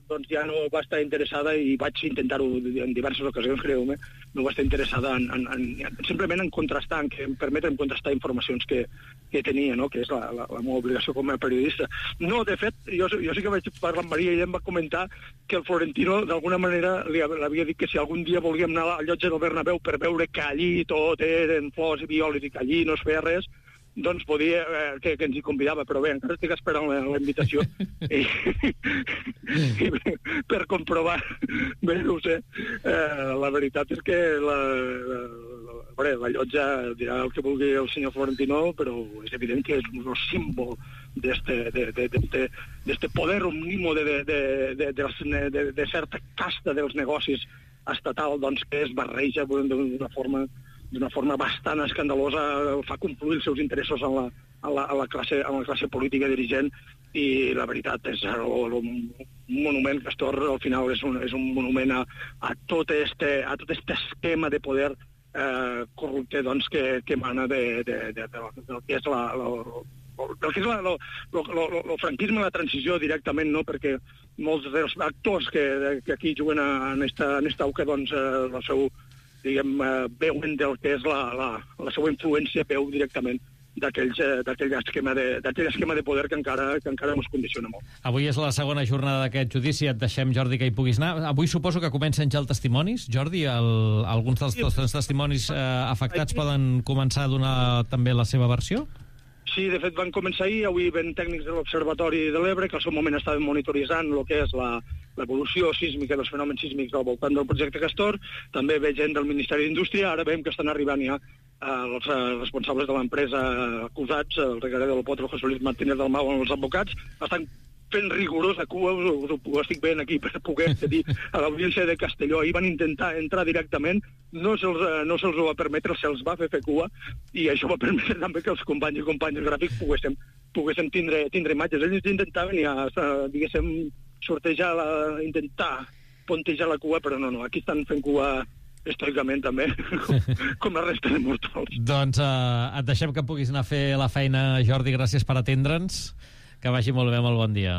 doncs ja no va estar interessada, i vaig intentar-ho en diverses ocasions, creu-me, no va estar interessada en, en, en, simplement en contrastar, en que em permeten contrastar informacions que, que tenia, no?, que és la, la, la meva obligació com a periodista. No, de fet, jo, jo sí que vaig parlar amb Maria i ella em va comentar que el Florentino d'alguna manera li havia dit que si algun dia volíem anar al llotja del Bernabéu per veure que allí tot eren flors i violes i que allí no es feia res, doncs podia, eh, que, que ens hi convidava, però bé, encara estic esperant la, la invitació i, i per comprovar, bé, no ho sé, eh, la veritat és que la, la, la, la llotja dirà el que vulgui el senyor Florentino, però és evident que és un símbol d'este de, de, de, de, de poder omnimo de, de, de, de, de, de, de certa casta dels negocis estatal, doncs, que es barreja d'una forma d'una forma bastant escandalosa, fa confluir els seus interessos en la, en la, en la, classe, en la classe política dirigent, i la veritat és un monument, Castor, al final és un, és un monument a, a, tot este, a tot este esquema de poder eh, corrupte, doncs, que, que emana de, de, de, de, del que és la, la el que és la, lo, lo, lo, lo franquisme, la transició directament, no?, perquè molts dels actors que, que aquí juguen en esta, en esta auca, doncs, eh, el seu, diguem, eh, veuen del que és la, la, la seva influència, veu directament d'aquell esquema, de, esquema de poder que encara, que encara ens condiciona molt. Avui és la segona jornada d'aquest judici, et deixem, Jordi, que hi puguis anar. Avui suposo que comencen ja els testimonis. Jordi, el, alguns dels, dels testimonis eh, afectats poden començar a donar també la seva versió? Sí, de fet van començar ahir, avui ven tècnics de l'Observatori de l'Ebre, que al seu moment estaven monitoritzant el que és la, l'evolució sísmica dels fenòmens sísmics al voltant del projecte Castor, també ve gent del Ministeri d'Indústria, ara veiem que estan arribant ja eh, els eh, responsables de l'empresa acusats, el regaler del Potro, José Luis Martínez del Mau, els advocats, estan fent rigorosa cua, us, us, ho estic veient aquí per poder dir a l'audiència de Castelló. Ahir van intentar entrar directament, no se'ls no se va permetre, se'ls va fer fer cua, i això va permetre també que els companys i companyes gràfics poguéssim, poguéssim tindre, tindre imatges. Ells intentaven ja, diguéssim, sortejar, la, intentar pontejar la cua, però no, no, aquí estan fent cua estoicament també, com, com la resta de mortals. Doncs eh, et deixem que puguis anar a fer la feina, Jordi, gràcies per atendre'ns. Que vagi molt bé, molt bon dia.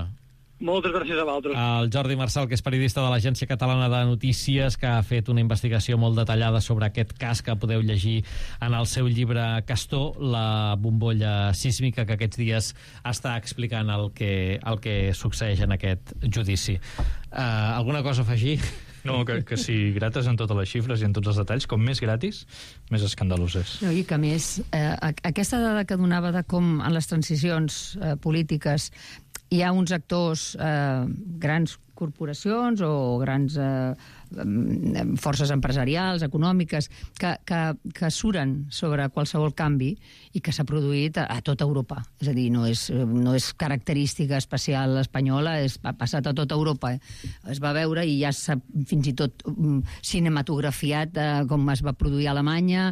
Moltes gràcies a vosaltres. El Jordi Marçal, que és periodista de l'Agència Catalana de Notícies, que ha fet una investigació molt detallada sobre aquest cas que podeu llegir en el seu llibre Castor, la bombolla sísmica, que aquests dies està explicant el que, el que succeeix en aquest judici. Uh, alguna cosa a afegir? No, que, que si grates en totes les xifres i en tots els detalls, com més gratis, més escandalós és. No, i que més, eh, aquesta dada que donava de com en les transicions eh, polítiques hi ha uns actors eh, grans corporacions o grans eh, forces empresarials, econòmiques, que, que, que suren sobre qualsevol canvi i que s'ha produït a, a tota Europa. És a dir, no és, no és característica especial espanyola, és, ha passat a tota Europa. Eh? Es va veure i ja s'ha fins i tot um, cinematografiat eh, com es va produir a Alemanya,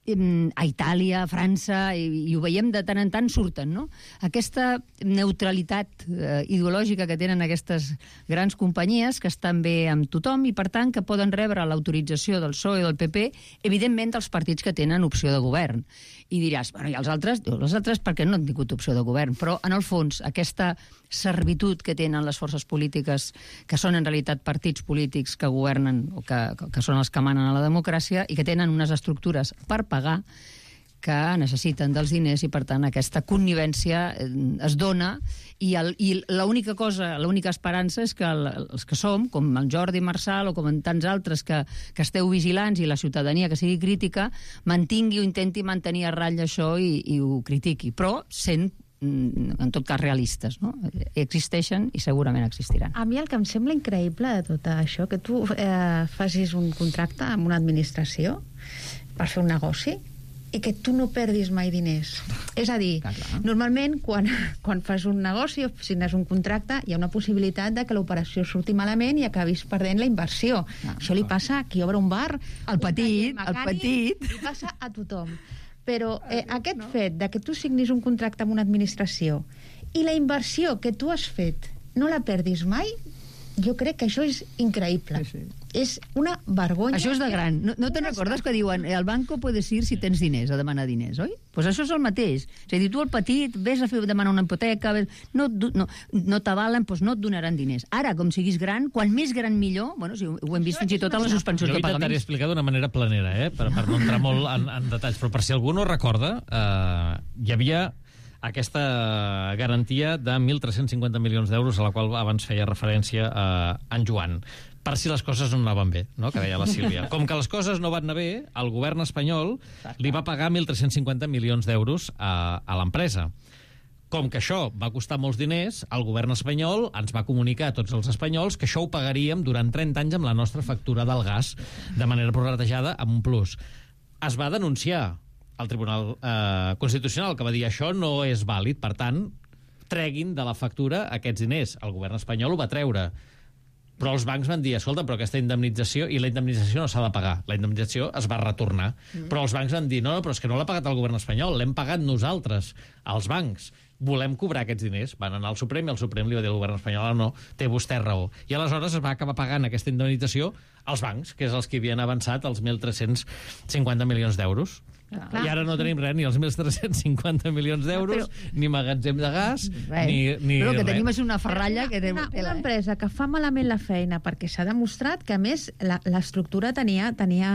a Itàlia, a França, i, i ho veiem de tant en tant surten, no? Aquesta neutralitat eh, ideològica que tenen aquestes grans companyies, que estan bé amb tothom i, per tant, que poden rebre l'autorització del P S O E i del P P, evidentment dels partits que tenen opció de govern. I diràs, bueno, i els altres? Diu, els altres perquè no han tingut opció de govern, però, en el fons, aquesta servitud que tenen les forces polítiques, que són en realitat partits polítics que governen, o que, que són els que manen a la democràcia, i que tenen unes estructures per pagar, que necessiten dels diners, i per tant aquesta connivència es dona, i, el, i l'única cosa, l'única esperança és que el, els que som, com el Jordi Marçal o com en tants altres que, que esteu vigilants, i la ciutadania que sigui crítica, mantingui o intenti mantenir a ratlla això i, i ho critiqui, però sent en tot cas realistes, no? Existeixen i segurament existiran. A mi el que em sembla increïble de tot això, que tu eh, facis un contracte amb una administració per fer un negoci i que tu no perdis mai diners. És a dir, clar, clar. Normalment quan, quan fas un negoci o signes un contracte hi ha una possibilitat de que l'operació surti malament i acabis perdent la inversió. Ah, això li passa a qui obre un bar, el petit, el petit. Li passa a tothom. Però eh, aquest no? fet de que tu signis un contracte amb una administració i la inversió que tu has fet no la perdis mai, jo crec que això és increïble. Sí, sí. És una vergonya. Això és de gran. No, no te'n recordes que diuen el banco puedes ir si tens diners, a demanar diners, oi? Doncs pues això és el mateix. És a dir, tu el petit, ves a fer, demanar una hipoteca, ves, no, no, no t'avalen, doncs no et donaran diners. Ara, com siguis gran, quan més gran millor, bueno, si ho hem vist fins i tot a les suspensions de pagaments. Jo intentaré explicar d'una manera planera, eh? per, per no entrar molt en, en detalls, però per si algú no recorda, eh, hi havia aquesta garantia de mil tres-cents cinquanta milions d'euros a la qual abans feia referència a en Joan, per si les coses no anaven bé, no? Que deia la Sílvia. Com que les coses no van anar bé, el govern espanyol li va pagar mil tres-cents cinquanta milions d'euros a, a l'empresa. Com que això va costar molts diners, el govern espanyol ens va comunicar a tots els espanyols que això ho pagaríem durant trenta anys amb la nostra factura del gas de manera prorratejada amb un plus. Es va denunciar al Tribunal eh, Constitucional, que va dir això no és vàlid, per tant, treguin de la factura aquests diners. El govern espanyol ho va treure. Però els bancs van dir, escolta, però aquesta indemnització, i la indemnització no s'ha de pagar, la indemnització es va retornar. Mm. Però els bancs van dir, no, però és que no l'ha pagat el govern espanyol, l'hem pagat nosaltres, els bancs. Volem cobrar aquests diners. Van anar al Suprem i el Suprem li va dir al govern espanyol, no, té vostè raó. I aleshores es va acabar pagant aquesta indemnització als bancs, que és els que havien avançat els mil tres-cents cinquanta milions d'euros. Ah, I ara no tenim res, ni els mil tres-cents cinquanta milions d'euros, però... ni magatzem de gas, res. ni, ni Però el que res. tenim és una ferralla que... Una, una empresa que fa malament la feina perquè s'ha demostrat que, a més, l'estructura tenia, tenia,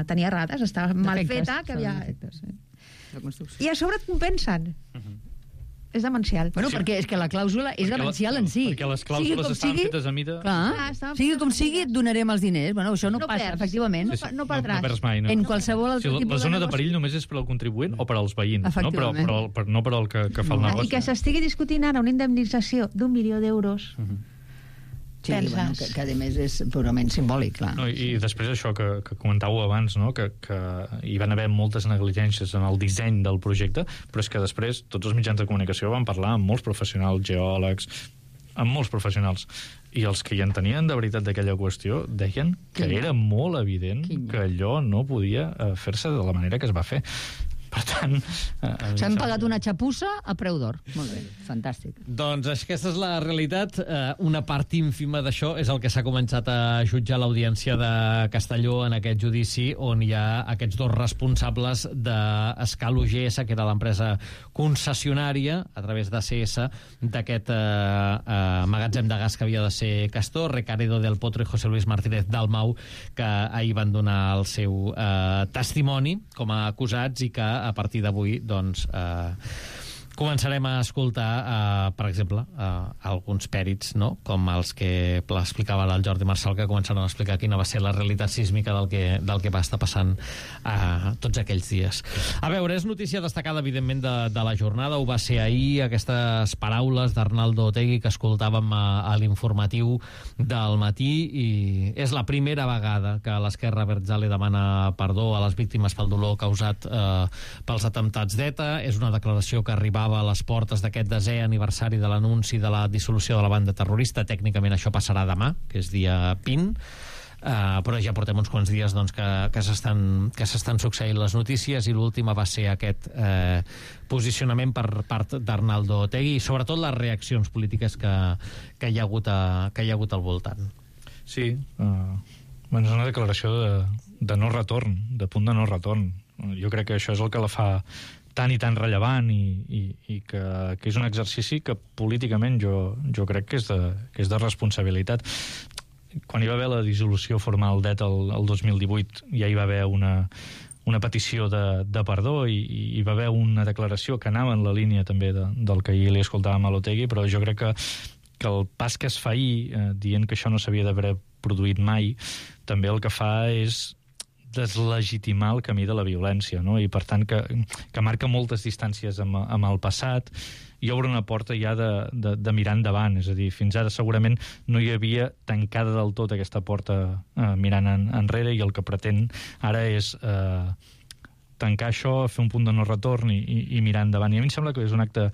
tenia rates, estava mal feta, que havia... Defectes, sí. I a sobre et compensen. Uh-huh. És demencial. Bueno, sí. Perquè és que la clàusula és perquè demencial la, en si. Perquè les clàusules estan sigui, fetes a mida... Clar, ah, sigui com sigui, et donarem els diners. Bueno, això no, no passa, perds. Efectivament. No, no, no perdràs. No, no perds mai, no. En qualsevol altre sí, tipus la zona de, de perill només és per al contribuent o per als veïns, no? Però, però, però no per al que, que fa el negoci. I que s'estigui discutint ara una indemnització d'un milió d'euros... Uh -huh. Sí, bueno, que, que a més és purament simbòlic, clar. No, i, I després això que, que comentàveu abans, no? que, que hi van haver moltes negligències en el disseny del projecte, però és que després tots els mitjans de comunicació van parlar amb molts professionals, geòlegs, amb molts professionals, i els que hi entenien de veritat d'aquella qüestió deien que Quina? era molt evident Quina? que allò no podia fer-se de la manera que es va fer. Per tant... Eh, S'han pagat una xapussa a preu d'or. Molt bé, fantàstic. Doncs aquesta és la realitat. Eh, una part ínfima d'això és el que s'ha començat a jutjar l'audiència de Castelló en aquest judici, on hi ha aquests dos responsables d'Escal U G S, que era l'empresa concessionària, a través de C S, d'aquest eh, eh, magatzem de gas que havia de ser Castor, Recaredo del Potro i José Luis Martínez Dalmau, que ahir van donar el seu eh, testimoni com a acusats i que a partir d'avui doncs, eh, començarem a escoltar, uh, per exemple, uh, alguns pèrits, no? Com els que explicava el Jordi Marçal, que començaran a explicar quina va ser la realitat sísmica del que, del que va estar passant uh, tots aquells dies. A veure, és notícia destacada, evidentment, de, de la jornada. Ho va ser ahir, aquestes paraules d'Arnaldo Otegi que escoltàvem a, a l'informatiu del matí, i és la primera vegada que l'esquerra Abertzale demana perdó a les víctimes pel dolor causat uh, pels atemptats d'ETA. És una declaració que arribava a les portes d'aquest desè aniversari de l'anunci de la dissolució de la banda terrorista. Tècnicament això passarà demà, que és dia vint, uh, però ja portem uns quants dies doncs, que, que s'estan que s'estan succeint les notícies, i l'última va ser aquest eh, posicionament per part d'Arnaldo Otegi, i sobretot les reaccions polítiques que, que, hi ha hagut a, que hi ha hagut al voltant. Sí, uh, bueno, és una declaració de, de no retorn, de punt de no retorn. Jo crec que això és el que la fa tan i tan rellevant, i, i, i que, que és un exercici que políticament jo, jo crec que és, de, que és de responsabilitat. Quan hi va haver la dissolució formal d'ETA el, el dos mil divuit, ja hi va haver una, una petició de, de perdó, i, i hi va haver una declaració que anava en la línia també de, del que ahir li escoltàvem a l'Otegi, però jo crec que, que el pas que es fa ahir, eh, dient que això no s'havia d'haver produït mai, també el que fa és deslegitimar el camí de la violència, no? I per tant que, que marca moltes distàncies amb, amb el passat, i obre una porta ja de, de, de mirar endavant. És a dir, fins ara segurament no hi havia tancada del tot aquesta porta eh, mirant en, enrere, i el que pretén ara és eh, tancar això, fer un punt de no retorn i, i, i mirar endavant. I a mi em sembla que és un acte,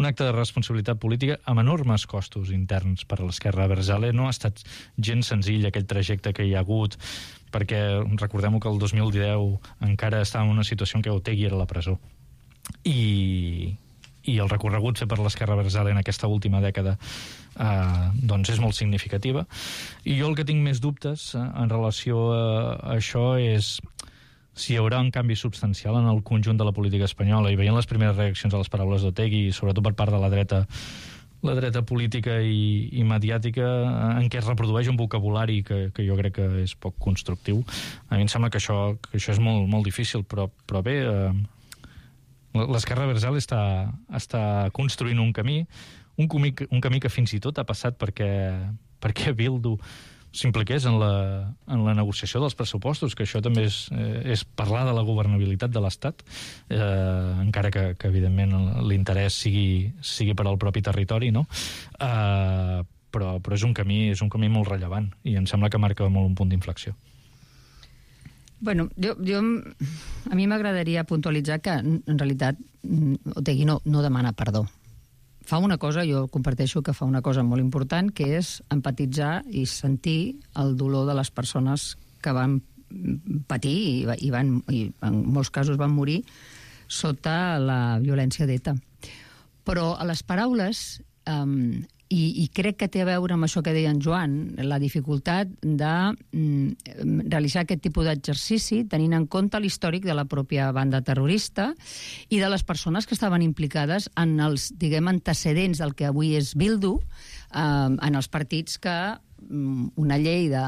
un acte de responsabilitat política amb enormes costos interns per a l'esquerra Abertzale. No ha estat gens senzill aquell trajecte que hi ha hagut, perquè recordem que el dos mil deu encara estava en una situació en què Otegi era a la presó. I, i el recorregut fet per l'esquerra Abertzale en aquesta última dècada eh, doncs és molt significativa. I jo el que tinc més dubtes eh, en relació a, a això és si hi haurà un canvi substancial en el conjunt de la política espanyola, i veient les primeres reaccions a les paraules d'Otegi, sobretot per part de la dreta la dreta política i, i mediàtica, en què es reprodueix un vocabulari que, que jo crec que és poc constructiu. A mi em sembla que això, que això és molt, molt difícil, però, però bé, eh, l'esquerra Abertzale està, està construint un camí, un camí, un camí que fins i tot ha passat perquè, perquè Bildu s'impliqués en la, en la negociació dels pressupostos, que això també és, eh, és parlar de la governabilitat de l'Estat, eh, encara que, que evidentment l'interès sigui, sigui per al propi territori, no? Eh, però, però és un camí, és un camí molt rellevant, i em sembla que marca molt un punt d'inflexió. Bueno, jo, jo, a mi m'agradaria puntualitzar que, en realitat, Otegi no, no demana perdó. Fa una cosa, jo comparteixo que fa una cosa molt important, que és empatitzar i sentir el dolor de les persones que van patir i, i, van, i en molts casos van morir sota la violència d'ETA. Però a les paraules, um, i, i crec que té a veure amb això que deia en Joan, la dificultat de mm, realitzar aquest tipus d'exercici tenint en compte l'històric de la pròpia banda terrorista i de les persones que estaven implicades en els, diguem, antecedents del que avui és Bildu, eh, en els partits que una llei de,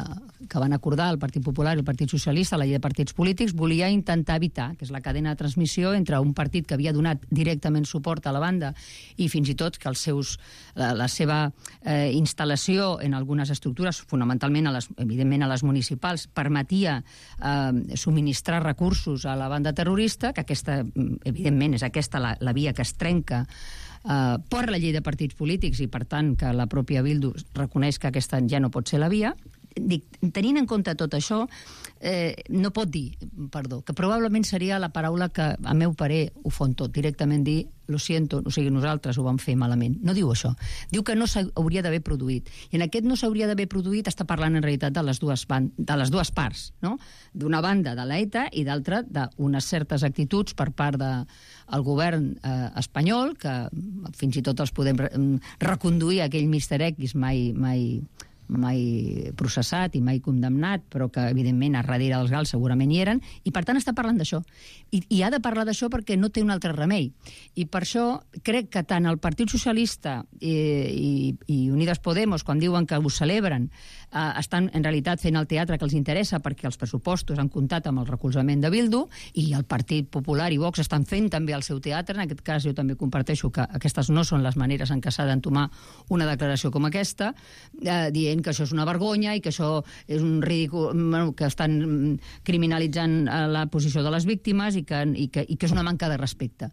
que van acordar el Partit Popular i el Partit Socialista, la llei de partits polítics, volia intentar evitar, que és la cadena de transmissió entre un partit que havia donat directament suport a la banda i fins i tot que els seus, la, la seva eh, instal·lació en algunes estructures, fonamentalment a les, evidentment a les municipals, permetia eh, subministrar recursos a la banda terrorista, que aquesta, evidentment, és aquesta la, la via que es trenca Uh, per la llei de partits polítics, i per tant que la pròpia Bildu reconeix que aquesta ja no pot ser la via. Dic, tenint en compte tot això, eh, no pot dir perdó, que probablement seria la paraula que, a meu parer, ho fon tot, directament dir lo siento, o sigui, nosaltres ho vam fer malament. No diu això. Diu que no s'hauria d'haver produït. I en aquest no s'hauria d'haver produït està parlant en realitat de les dues, ban de les dues parts, no? D'una banda de l'ETA i d'altra d'unes certes actituds per part del de govern eh, espanyol, que fins i tot els podem re reconduir a aquell míster X mai, mai mai processat i mai condemnat, però que, evidentment, a darrere dels gals segurament hi eren, i, per tant, està parlant d'això. I, I ha de parlar d'això perquè no té un altre remei. I per això crec que tant el Partit Socialista i, i, i Unidas Podemos, quan diuen que ho celebren, eh, estan, en realitat, fent el teatre que els interessa perquè els pressupostos han comptat amb el recolzament de Bildu, i el Partit Popular i Vox estan fent també el seu teatre. En aquest cas, jo també comparteixo que aquestes no són les maneres en què s'ha d'entomar una declaració com aquesta, eh, dient que això és una vergonya i que això és un ridícul, bueno, que estan criminalitzant la posició de les víctimes i que, i que, i que és una manca de respecte.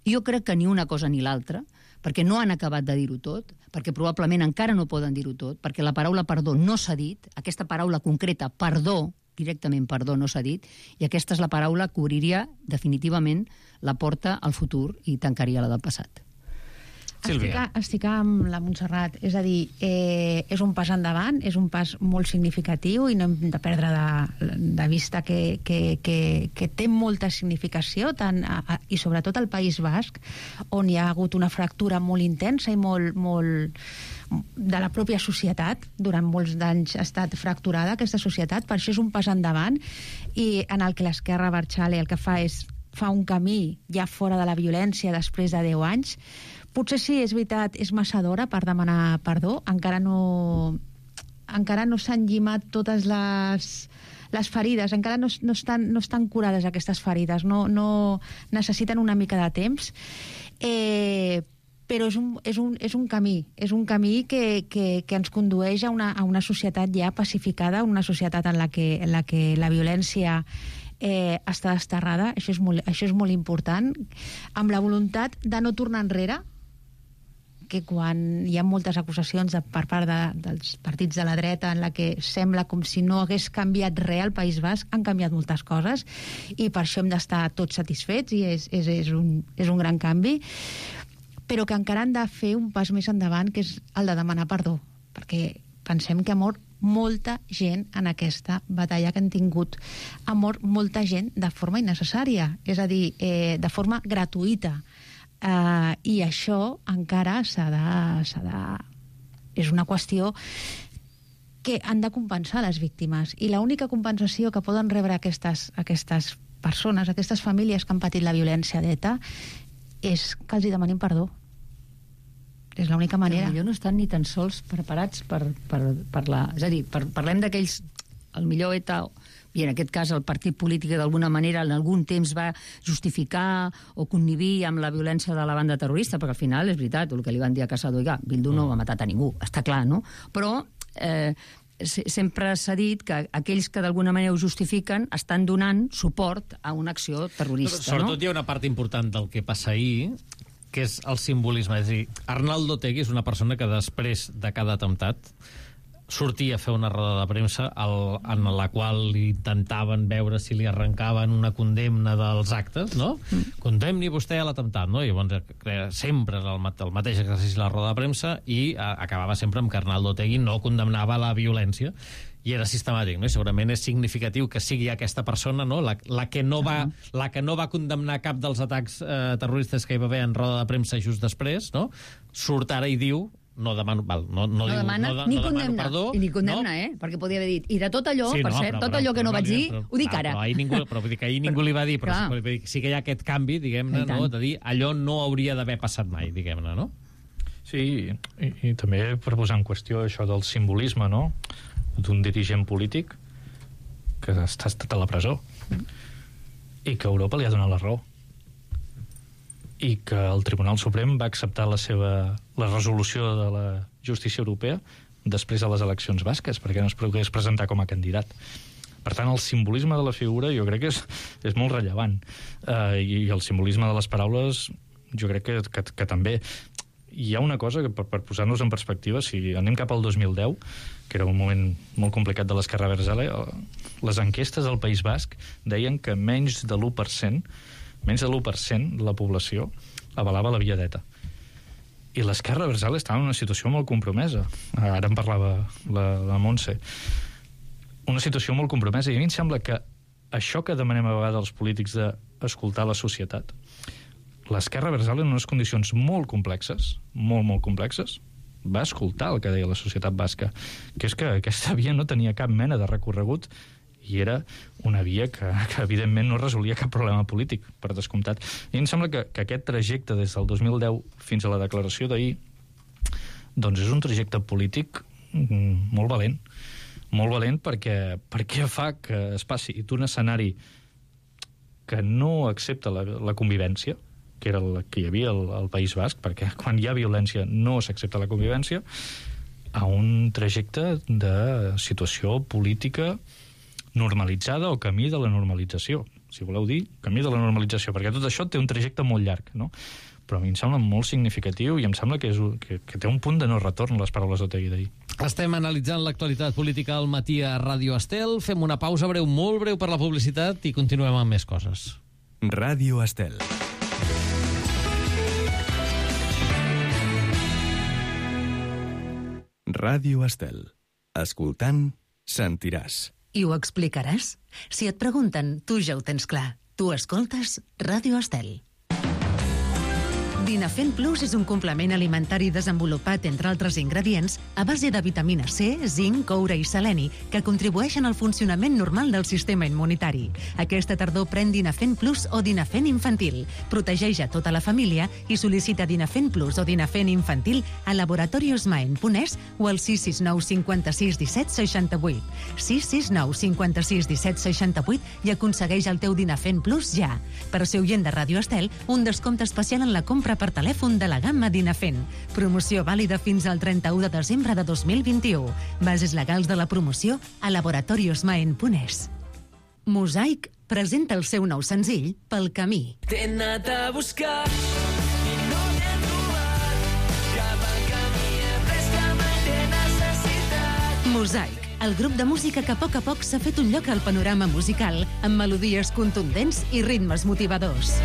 Jo crec que ni una cosa ni l'altra, perquè no han acabat de dir-ho tot, perquè probablement encara no poden dir-ho tot, perquè la paraula perdó no s'ha dit, aquesta paraula concreta, perdó, directament perdó, no s'ha dit, i aquesta és la paraula que obriria definitivament la porta al futur i tancaria la del passat. Estic, estic amb la Montserrat, és a dir, eh, és un pas endavant, és un pas molt significatiu i no hem de perdre de, de vista que, que, que, que té molta significació, tant a, a, i sobretot al País Basc, on hi ha hagut una fractura molt intensa i molt, molt de la pròpia societat. Durant molts d'anys ha estat fracturada aquesta societat, per això és un pas endavant, i en el que l'esquerra Berchale el que fa és fa un camí ja fora de la violència després de deu anys. Potser sí, és veritat, és massa d'hora per demanar perdó, encara no encara no s'han llimat totes les, les ferides, encara no, no, estan, no estan curades aquestes ferides, no, no necessiten una mica de temps, eh, però és un, és, un, és un camí, és un camí que, que, que ens condueix a una, a una societat ja pacificada, una societat en la que, en la, que la violència eh, està desterrada, això és, molt, això és molt important, amb la voluntat de no tornar enrere, que quan hi ha moltes acusacions de, per part de, dels partits de la dreta en la que sembla com si no hagués canviat res al País Basc, han canviat moltes coses i per això hem d'estar tots satisfets i és, és, és, un, és un gran canvi, però que encara han de fer un pas més endavant, que és el de demanar perdó, perquè pensem que ha mort molta gent en aquesta batalla que han tingut. Ha mort molta gent de forma innecessària, és a dir, eh, de forma gratuïta. Uh, i això encara s'ha de, s'ha de... és una qüestió que han de compensar les víctimes, i l'única compensació que poden rebre aquestes, aquestes persones, aquestes famílies que han patit la violència d'ETA, és que els hi demanin perdó. És l'única manera. Però no estan ni tan sols preparats per, per parlar. És a dir, per, parlem d'aquells, el millor ETA, i en aquest cas el partit polític d'alguna manera en algun temps va justificar o connivir amb la violència de la banda terrorista, perquè al final és veritat, el que li van dir a Casado, oiga, Bildu no va matar a ningú, està clar, no? Però eh, sempre s'ha dit que aquells que d'alguna manera ho justifiquen estan donant suport a una acció terrorista. Però, sobretot, no? Hi ha una part important del que passa ahir, que és el simbolisme. És a dir, Arnaldo Otegi és una persona que després de cada atemptat sortia a fer una roda de premsa al, en la qual intentaven veure si li arrencaven una condemna dels actes, no? Mm. Condemni vostè a l'atemptat, no? I llavors sempre era el, el mateix exercici de la roda de premsa i a, acabava sempre amb que Arnaldo Otegi no condemnava la violència i era sistemàtic, no? I segurament és significatiu que sigui aquesta persona, no? La, la, que, no va, la que no va condemnar cap dels atacs eh, terroristes que hi va haver en roda de premsa just després, no? Surt ara i diu no demano, val, no, no, no diu, demana no, ni no condemna, perdó, ni condemna, no? eh? Perquè podria haver dit, i de tot allò, sí, per no, cert, però, tot però, allò que no però, vaig dir, però, ho dic clar, ara. Però ahir ningú, però, vull dir que ahir ningú li va dir, però sí, sí que hi ha aquest canvi, diguem-ne, no? De dir allò no hauria d'haver passat mai, diguem-ne, no? Sí, i, i també per posar en qüestió això del simbolisme, no?, d'un dirigent polític que està estat a la presó i que Europa li ha donat la raó i que el Tribunal Suprem va acceptar la seva la resolució de la justícia europea després de les eleccions basques, perquè no es pogués presentar com a candidat. Per tant, el simbolisme de la figura jo crec que és, és molt rellevant. Uh, i, I el simbolisme de les paraules jo crec que, que, que també. Hi ha una cosa que, per, per posar-nos en perspectiva, si anem cap al dos mil deu, que era un moment molt complicat de l'esquerra Berchale, les enquestes del País Basc deien que menys de l'u per cent menys de l'u per cent de la població avalava la via d'ETA. I l'esquerra Berchale estava en una situació molt compromesa. Ara en parlava la, la Montse. Una situació molt compromesa. I a mi em sembla que això que demanem a vegades als polítics d'escoltar la societat, l'esquerra Berchale en unes condicions molt complexes, molt, molt complexes, va escoltar el que deia la societat basca, que és que aquesta via no tenia cap mena de recorregut i era una via que, que evidentment no resolia cap problema polític, per descomptat. I em sembla que, que aquest trajecte des del dos mil deu fins a la declaració d'ahir doncs és un trajecte polític molt valent, molt valent perquè, perquè fa que es passi d'un escenari que no accepta la, la convivència, que era el que hi havia al, al País Basc, perquè quan hi ha violència no s'accepta la convivència, a un trajecte de situació política normalitzada o camí de la normalització. Si voleu dir, camí de la normalització, perquè tot això té un trajecte molt llarg, no? Però a mi em sembla molt significatiu i em sembla que, és, que, que té un punt de no retorn les paraules d'Otegi d'ahir. Estem analitzant l'actualitat política al matí a Ràdio Estel. Fem una pausa breu, molt breu per la publicitat i continuem amb més coses. Ràdio Estel. Ràdio Estel. Escoltant, sentiràs. I ho explicaràs? Si et pregunten, tu ja ho tens clar. Tu escoltes Ràdio Estel. Dinafen Plus és un complement alimentari desenvolupat, entre altres ingredients, a base de vitamina C, zinc, coure i seleni, que contribueixen al funcionament normal del sistema immunitari. Aquesta tardor pren Dinafen Plus o Dinafen Infantil. Protegeix a tota la família i sol·licita Dinafen Plus o Dinafen Infantil a Laboratorios Maen punt es o al sis sis nou cinquanta-sis disset seixanta-vuit. sis sis nou cinquanta-sis disset seixanta-vuit i aconsegueix el teu Dinafen Plus ja. Per ser oient de Ràdio Estel, un descompte especial en la compra per telèfon de la gamma Dinafen. Promoció vàlida fins al trenta-u de desembre de dos mil vint-i-u. Bases legals de la promoció a Laboratorios Maen punt es. Mosaic presenta el seu nou senzill Pel camí. T'he anat a buscar i no t'he trobat. Cap al camí he pres que mai t'he necessitat. Mosaic, el grup de música que a poc a poc s'ha fet un lloc al panorama musical amb melodies contundents i ritmes motivadors.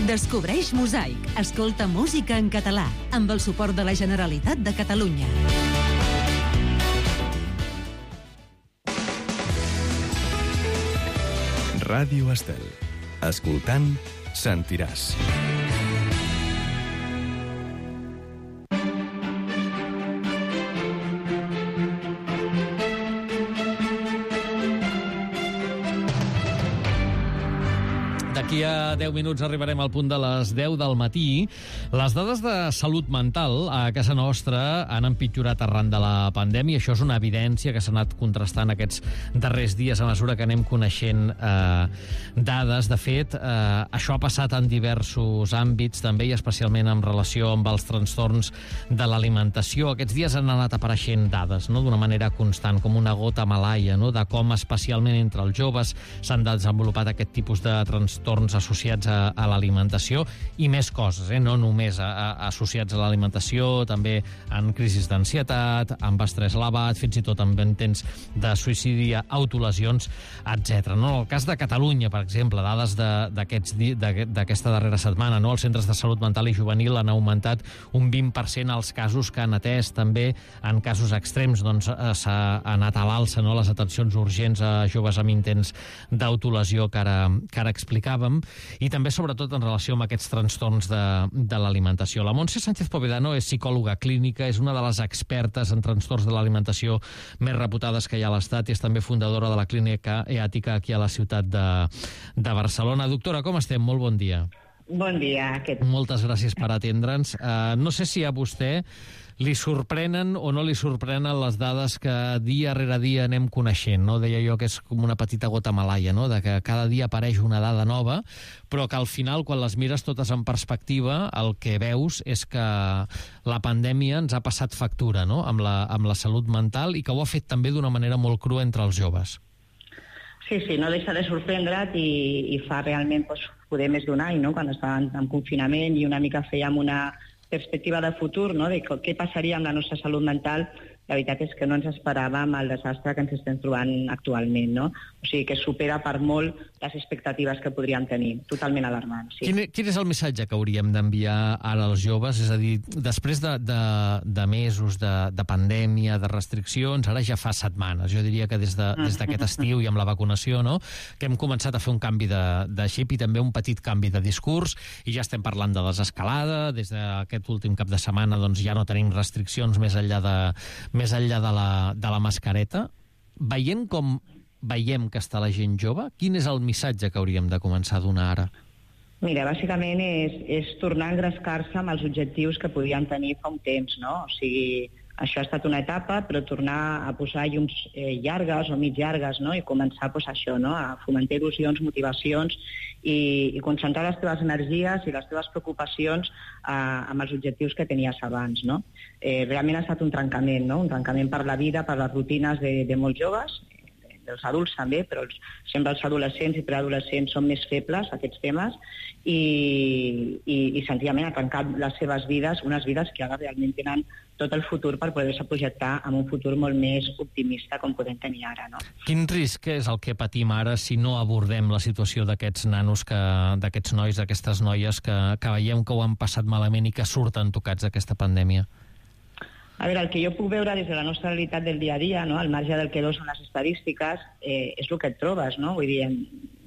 Descobreix Mosaic. Escolta música en català, amb el suport de la Generalitat de Catalunya. Ràdio Estel. Escoltant, sentiràs. D'aquí a deu minuts arribarem al punt de les deu del matí. Les dades de salut mental a casa nostra han empitjorat arran de la pandèmia. Això és una evidència que s'ha anat contrastant aquests darrers dies a mesura que anem coneixent eh, dades. De fet, eh, això ha passat en diversos àmbits, també i especialment en relació amb els trastorns de l'alimentació. Aquests dies han anat apareixent dades, no?, d'una manera constant, com una gota malaia, no?, de com especialment entre els joves s'han desenvolupat aquest tipus de trastorns associats a, a l'alimentació i més coses, eh? No només a, a, associats a l'alimentació, també en crisis d'ansietat, amb estrès elevat, fins i tot amb intents de suïcidi, autolesions, etcètera. No? En el cas de Catalunya, per exemple, dades d'aquesta darrera setmana, no? Els centres de salut mental i juvenil han augmentat un vint per cent els casos que han atès. També en casos extrems doncs, s'ha anat a l'alça, no?, les atencions urgents a joves amb intents d'autolesió que ara, que ara explicàvem, i també, sobretot, en relació amb aquests trastorns de, de l'alimentació. La Montse Sánchez Povedano és psicòloga clínica, és una de les expertes en trastorns de l'alimentació més reputades que hi ha a l'Estat i és també fundadora de la Clínica Eàtica aquí a la ciutat de, de Barcelona. Doctora, com estem? Molt bon dia. Bon dia. Aquest... Moltes gràcies per atendre'ns. Uh, no sé si a vostè li sorprenen o no li sorprenen les dades que dia rere dia anem coneixent, no? Deia jo que és com una petita gota malaia, no?, de que cada dia apareix una dada nova, però que al final, quan les mires totes en perspectiva, el que veus és que la pandèmia ens ha passat factura, no?, amb la, amb la salut mental, i que ho ha fet també d'una manera molt crua entre els joves. Sí, sí, no deixa de sorprendre't i, i fa realment doncs, poder més d'un any, no?, quan estàvem en confinament i una mica fèiem una perspectiva de futur, no?, de què passaria amb la nostra salut mental la veritat és que no ens esperàvem el desastre que ens estem trobant actualment, no? O sigui, que supera per molt les expectatives que podríem tenir. Totalment alarmant, sí. Quin, quin és el missatge que hauríem d'enviar ara als joves? És a dir, després de, de, de mesos de, de pandèmia, de restriccions, ara ja fa setmanes. Jo diria que des de, des d'aquest estiu i amb la vacunació, no?, que hem començat a fer un canvi de, de xip i també un petit canvi de discurs, i ja estem parlant de desescalada. Des d'aquest últim cap de setmana doncs, ja no tenim restriccions més enllà de, més enllà de, la, de la mascareta. Veient com veiem que està la gent jove, quin és el missatge que hauríem de començar a donar ara? Mira, bàsicament és, és tornar a engrescar-se amb els objectius que podíem tenir fa un temps, no? O sigui, això ha estat una etapa, però tornar a posar llums eh, llargues o mig llargues, no? I començar pues, això, no? A fomentar il·lusions, motivacions i, i concentrar les teves energies i les teves preocupacions eh, amb els objectius que tenies abans, no? Eh, realment ha estat un trencament, no? Un trencament per la vida, per les rutines de, de molts joves, dels adults també, però els, sempre els adolescents i preadolescents són més febles a aquests temes i, i, i senzillament ha trencat les seves vides, unes vides que ara realment tenen tot el futur per poder-se projectar en un futur molt més optimista com podem tenir ara, no? Quin risc és el que patim ara si no abordem la situació d'aquests nanos, que, d'aquests nois, d'aquestes noies que, que veiem que ho han passat malament i que surten tocats d'aquesta pandèmia? A veure, el que jo puc veure des de la nostra realitat del dia a dia, no? Al marge del que dos són les estadístiques, eh, és el que et trobes, no? Vull dir,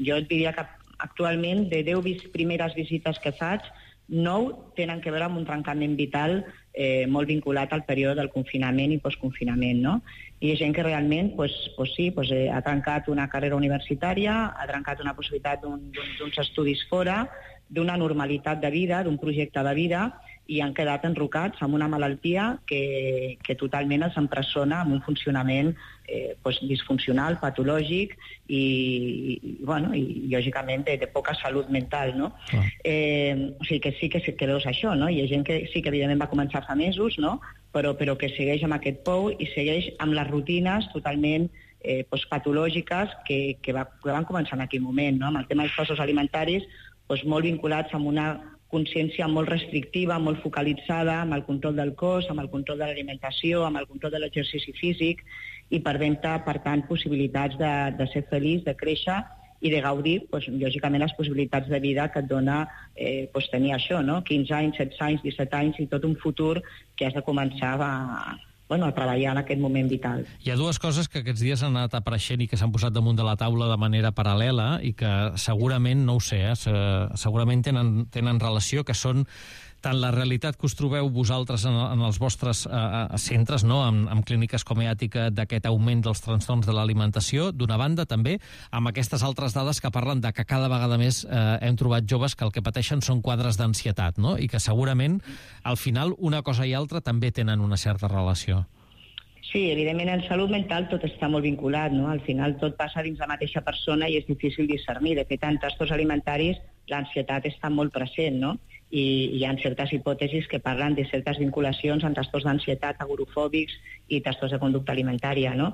jo et diria que actualment de deu vis- primeres visites que faig, nou tenen que veure amb un trencament vital eh, molt vinculat al període del confinament i postconfinament, no? I hi ha gent que realment, pues, pues sí, pues, eh, ha trencat una carrera universitària, ha trencat una possibilitat d'un, d'un, d'uns estudis fora, d'una normalitat de vida, d'un projecte de vida, i han quedat enrocats amb una malaltia que, que totalment els empresona amb un funcionament eh, pues, disfuncional, patològic i, i, bueno, i lògicament de, de poca salut mental, no? Ah. Eh, o sigui que sí que, que veus això, no? Hi ha gent que sí que evidentment va començar fa mesos, no? Però, però que segueix amb aquest pou i segueix amb les rutines totalment eh, pues, patològiques que, que, va, que van començar en aquell moment, no? Amb el tema dels passos alimentaris, pues, molt vinculats amb una consciència molt restrictiva, molt focalitzada amb el control del cos, amb el control de l'alimentació, amb el control de l'exercici físic i perdent, per tant, possibilitats de, de ser feliç, de créixer i de gaudir, doncs, lògicament, les possibilitats de vida que et dona eh, doncs, tenir això, no? quinze anys, setze anys, disset anys i tot un futur que has de començar a, bueno, a treballar en aquest moment vital. Hi ha dues coses que aquests dies han anat apareixent i que s'han posat damunt de la taula de manera paral·lela i que segurament, no ho sé, eh, segurament tenen, tenen relació, que són tant la realitat que us trobeu vosaltres en, en els vostres eh, centres, no? amb, amb clíniques com Eàtica, d'aquest augment dels trastorns de l'alimentació, d'una banda també amb aquestes altres dades que parlen de que cada vegada més eh, hem trobat joves que el que pateixen són quadres d'ansietat, no? I que segurament al final una cosa i altra també tenen una certa relació. Sí, evidentment en salut mental tot està molt vinculat, no? Al final tot passa dins la mateixa persona i és difícil discernir. De fet, en trastorns alimentaris l'ansietat està molt present, no? I hi ha certes hipòtesis que parlen de certes vinculacions amb trastorns d'ansietat agorofòbics i trastorns de conducta alimentària, no?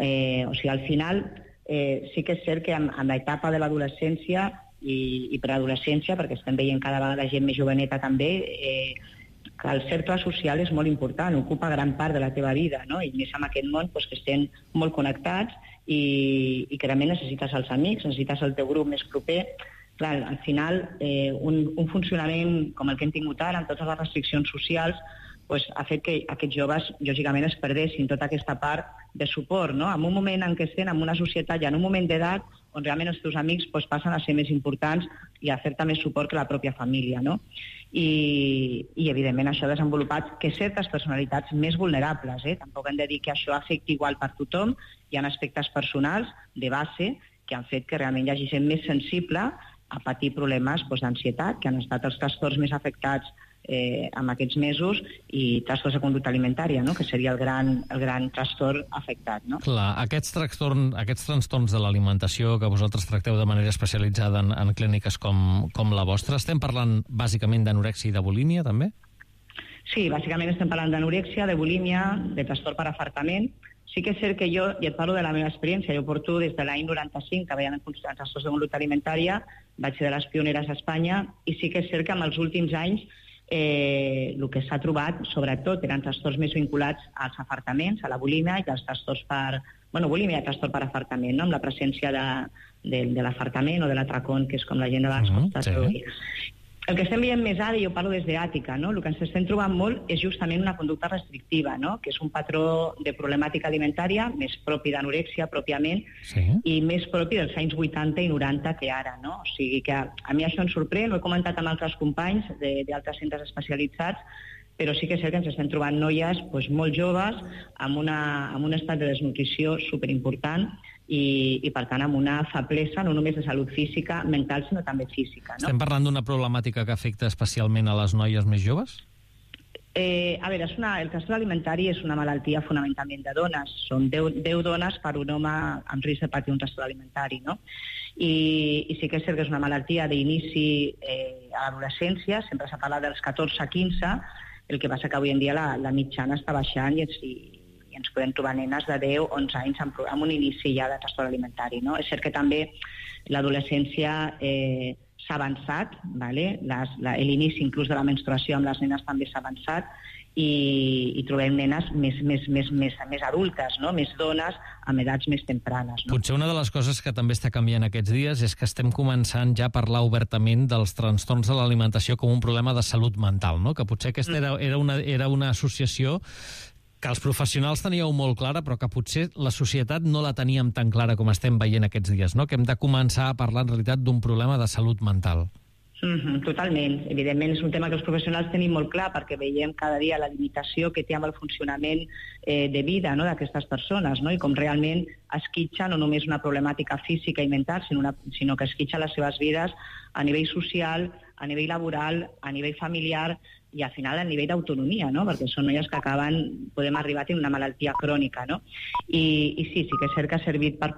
Eh, o sigui, al final eh, sí que és cert que amb, amb l'etapa de l'adolescència i, i preadolescència, perquè estem veient cada vegada gent més joveneta també, eh, que el cercle social és molt important, ocupa gran part de la teva vida, no? I més en aquest món doncs, que estem molt connectats i, i que realment necessites els amics, necessites el teu grup més proper. Clar, al final, eh, un, un funcionament com el que hem tingut ara, amb totes les restriccions socials, pues, ha fet que aquests joves, lògicament, es perdessin tota aquesta part de suport, no? En un moment en què estem en una societat i en un moment d'edat on realment els teus amics pues, passen a ser més importants i a fer-te més suport que la pròpia família, no? I, i evidentment, això ha desenvolupat que certes personalitats més vulnerables, eh? Tampoc hem de dir que això afecti igual per tothom, hi ha aspectes personals de base que han fet que realment hi hagi gent més sensible a patir problemes doncs, d'ansietat, que han estat els trastorns més afectats eh, en aquests mesos, i trastorns de conducta alimentària, no? Que seria el gran, el gran trastorn afectat. No? Clar, aquests, trastorn, aquests trastorns de l'alimentació que vosaltres tracteu de manera especialitzada en, en clíniques com, com la vostra, estem parlant bàsicament d'anorèxia i de bulímia, també? Sí, bàsicament estem parlant d'anorèxia, de bulímia, de trastorn per afartament. Sí que és cert que jo, i et parlo de la meva experiència, jo porto des de l'any noranta-cinc que veiem trastorns de conducta alimentària, vaig ser de les pioneres a Espanya, i sí que és cert que en els últims anys eh, el que s'ha trobat, sobretot, eren trastorns més vinculats als afartaments, a la bulímia i als trastorns per... Bueno, bulímia i trastorn per afartament, no? Amb la presència de, de, de l'afartament o de l'atracón, que és com la gent de vegades Mm, pot sí. traduir. El que estem veient més ara, i jo parlo des d'ètica, no? El que ens estem trobant molt és justament una conducta restrictiva, no? Que és un patró de problemàtica alimentària més propi d'anorèxia pròpiament Sí. i més propi dels anys vuitanta i noranta que ara, no? O sigui que a, a mi això em sorprèn, ho he comentat amb altres companys de- d'altres centres especialitzats, però sí que és cert que ens estem trobant noies doncs, molt joves amb, una, amb un estat de desnutrició superimportant i, i, per tant, amb una feblesa no només de salut física, mental, sinó també física. No? Estem parlant d'una problemàtica que afecta especialment a les noies més joves? Eh, a veure, és una, el trastorn alimentari és una malaltia fonamentalment de dones. Són deu dones per un home amb risc de patir un trastorn alimentari, no? I, i sí que és cert que és una malaltia d'inici eh, a l'adolescència, sempre s'ha parlat dels catorze a quinze, el que passa que avui en dia la, la mitjana està baixant i ens, i, i ens podem trobar nenes de deu a onze anys amb, amb un inici ja de trastorn alimentari, no? És cert que també l'adolescència eh, s'ha avançat, vale? L'inici inclús de la menstruació amb les nenes també s'ha avançat i, i trobem nenes més, més, més, més, més adultes, no? Més dones amb edats més tempranes. No? Potser una de les coses que també està canviant aquests dies és que estem començant ja a parlar obertament dels trastorns de l'alimentació com un problema de salut mental, no? Que potser aquesta era, era, una, era una associació que els professionals teníeu molt clara, però que potser la societat no la teníem tan clara com estem veient aquests dies, no? Que hem de començar a parlar en realitat d'un problema de salut mental. Mm-hmm, totalment. Evidentment és un tema que els professionals tenim molt clar perquè veiem cada dia la limitació que té amb el funcionament eh, de vida, no?, d'aquestes persones, no?, i com realment esquitxa no només una problemàtica física i mental, sinó, una, sinó que esquitxa les seves vides a nivell social, a nivell laboral, a nivell familiar i al final a nivell d'autonomia, no?, perquè són noies que acaben, podem arribar a tenir una malaltia crònica, no? I, i sí, sí que és cert que ha servit per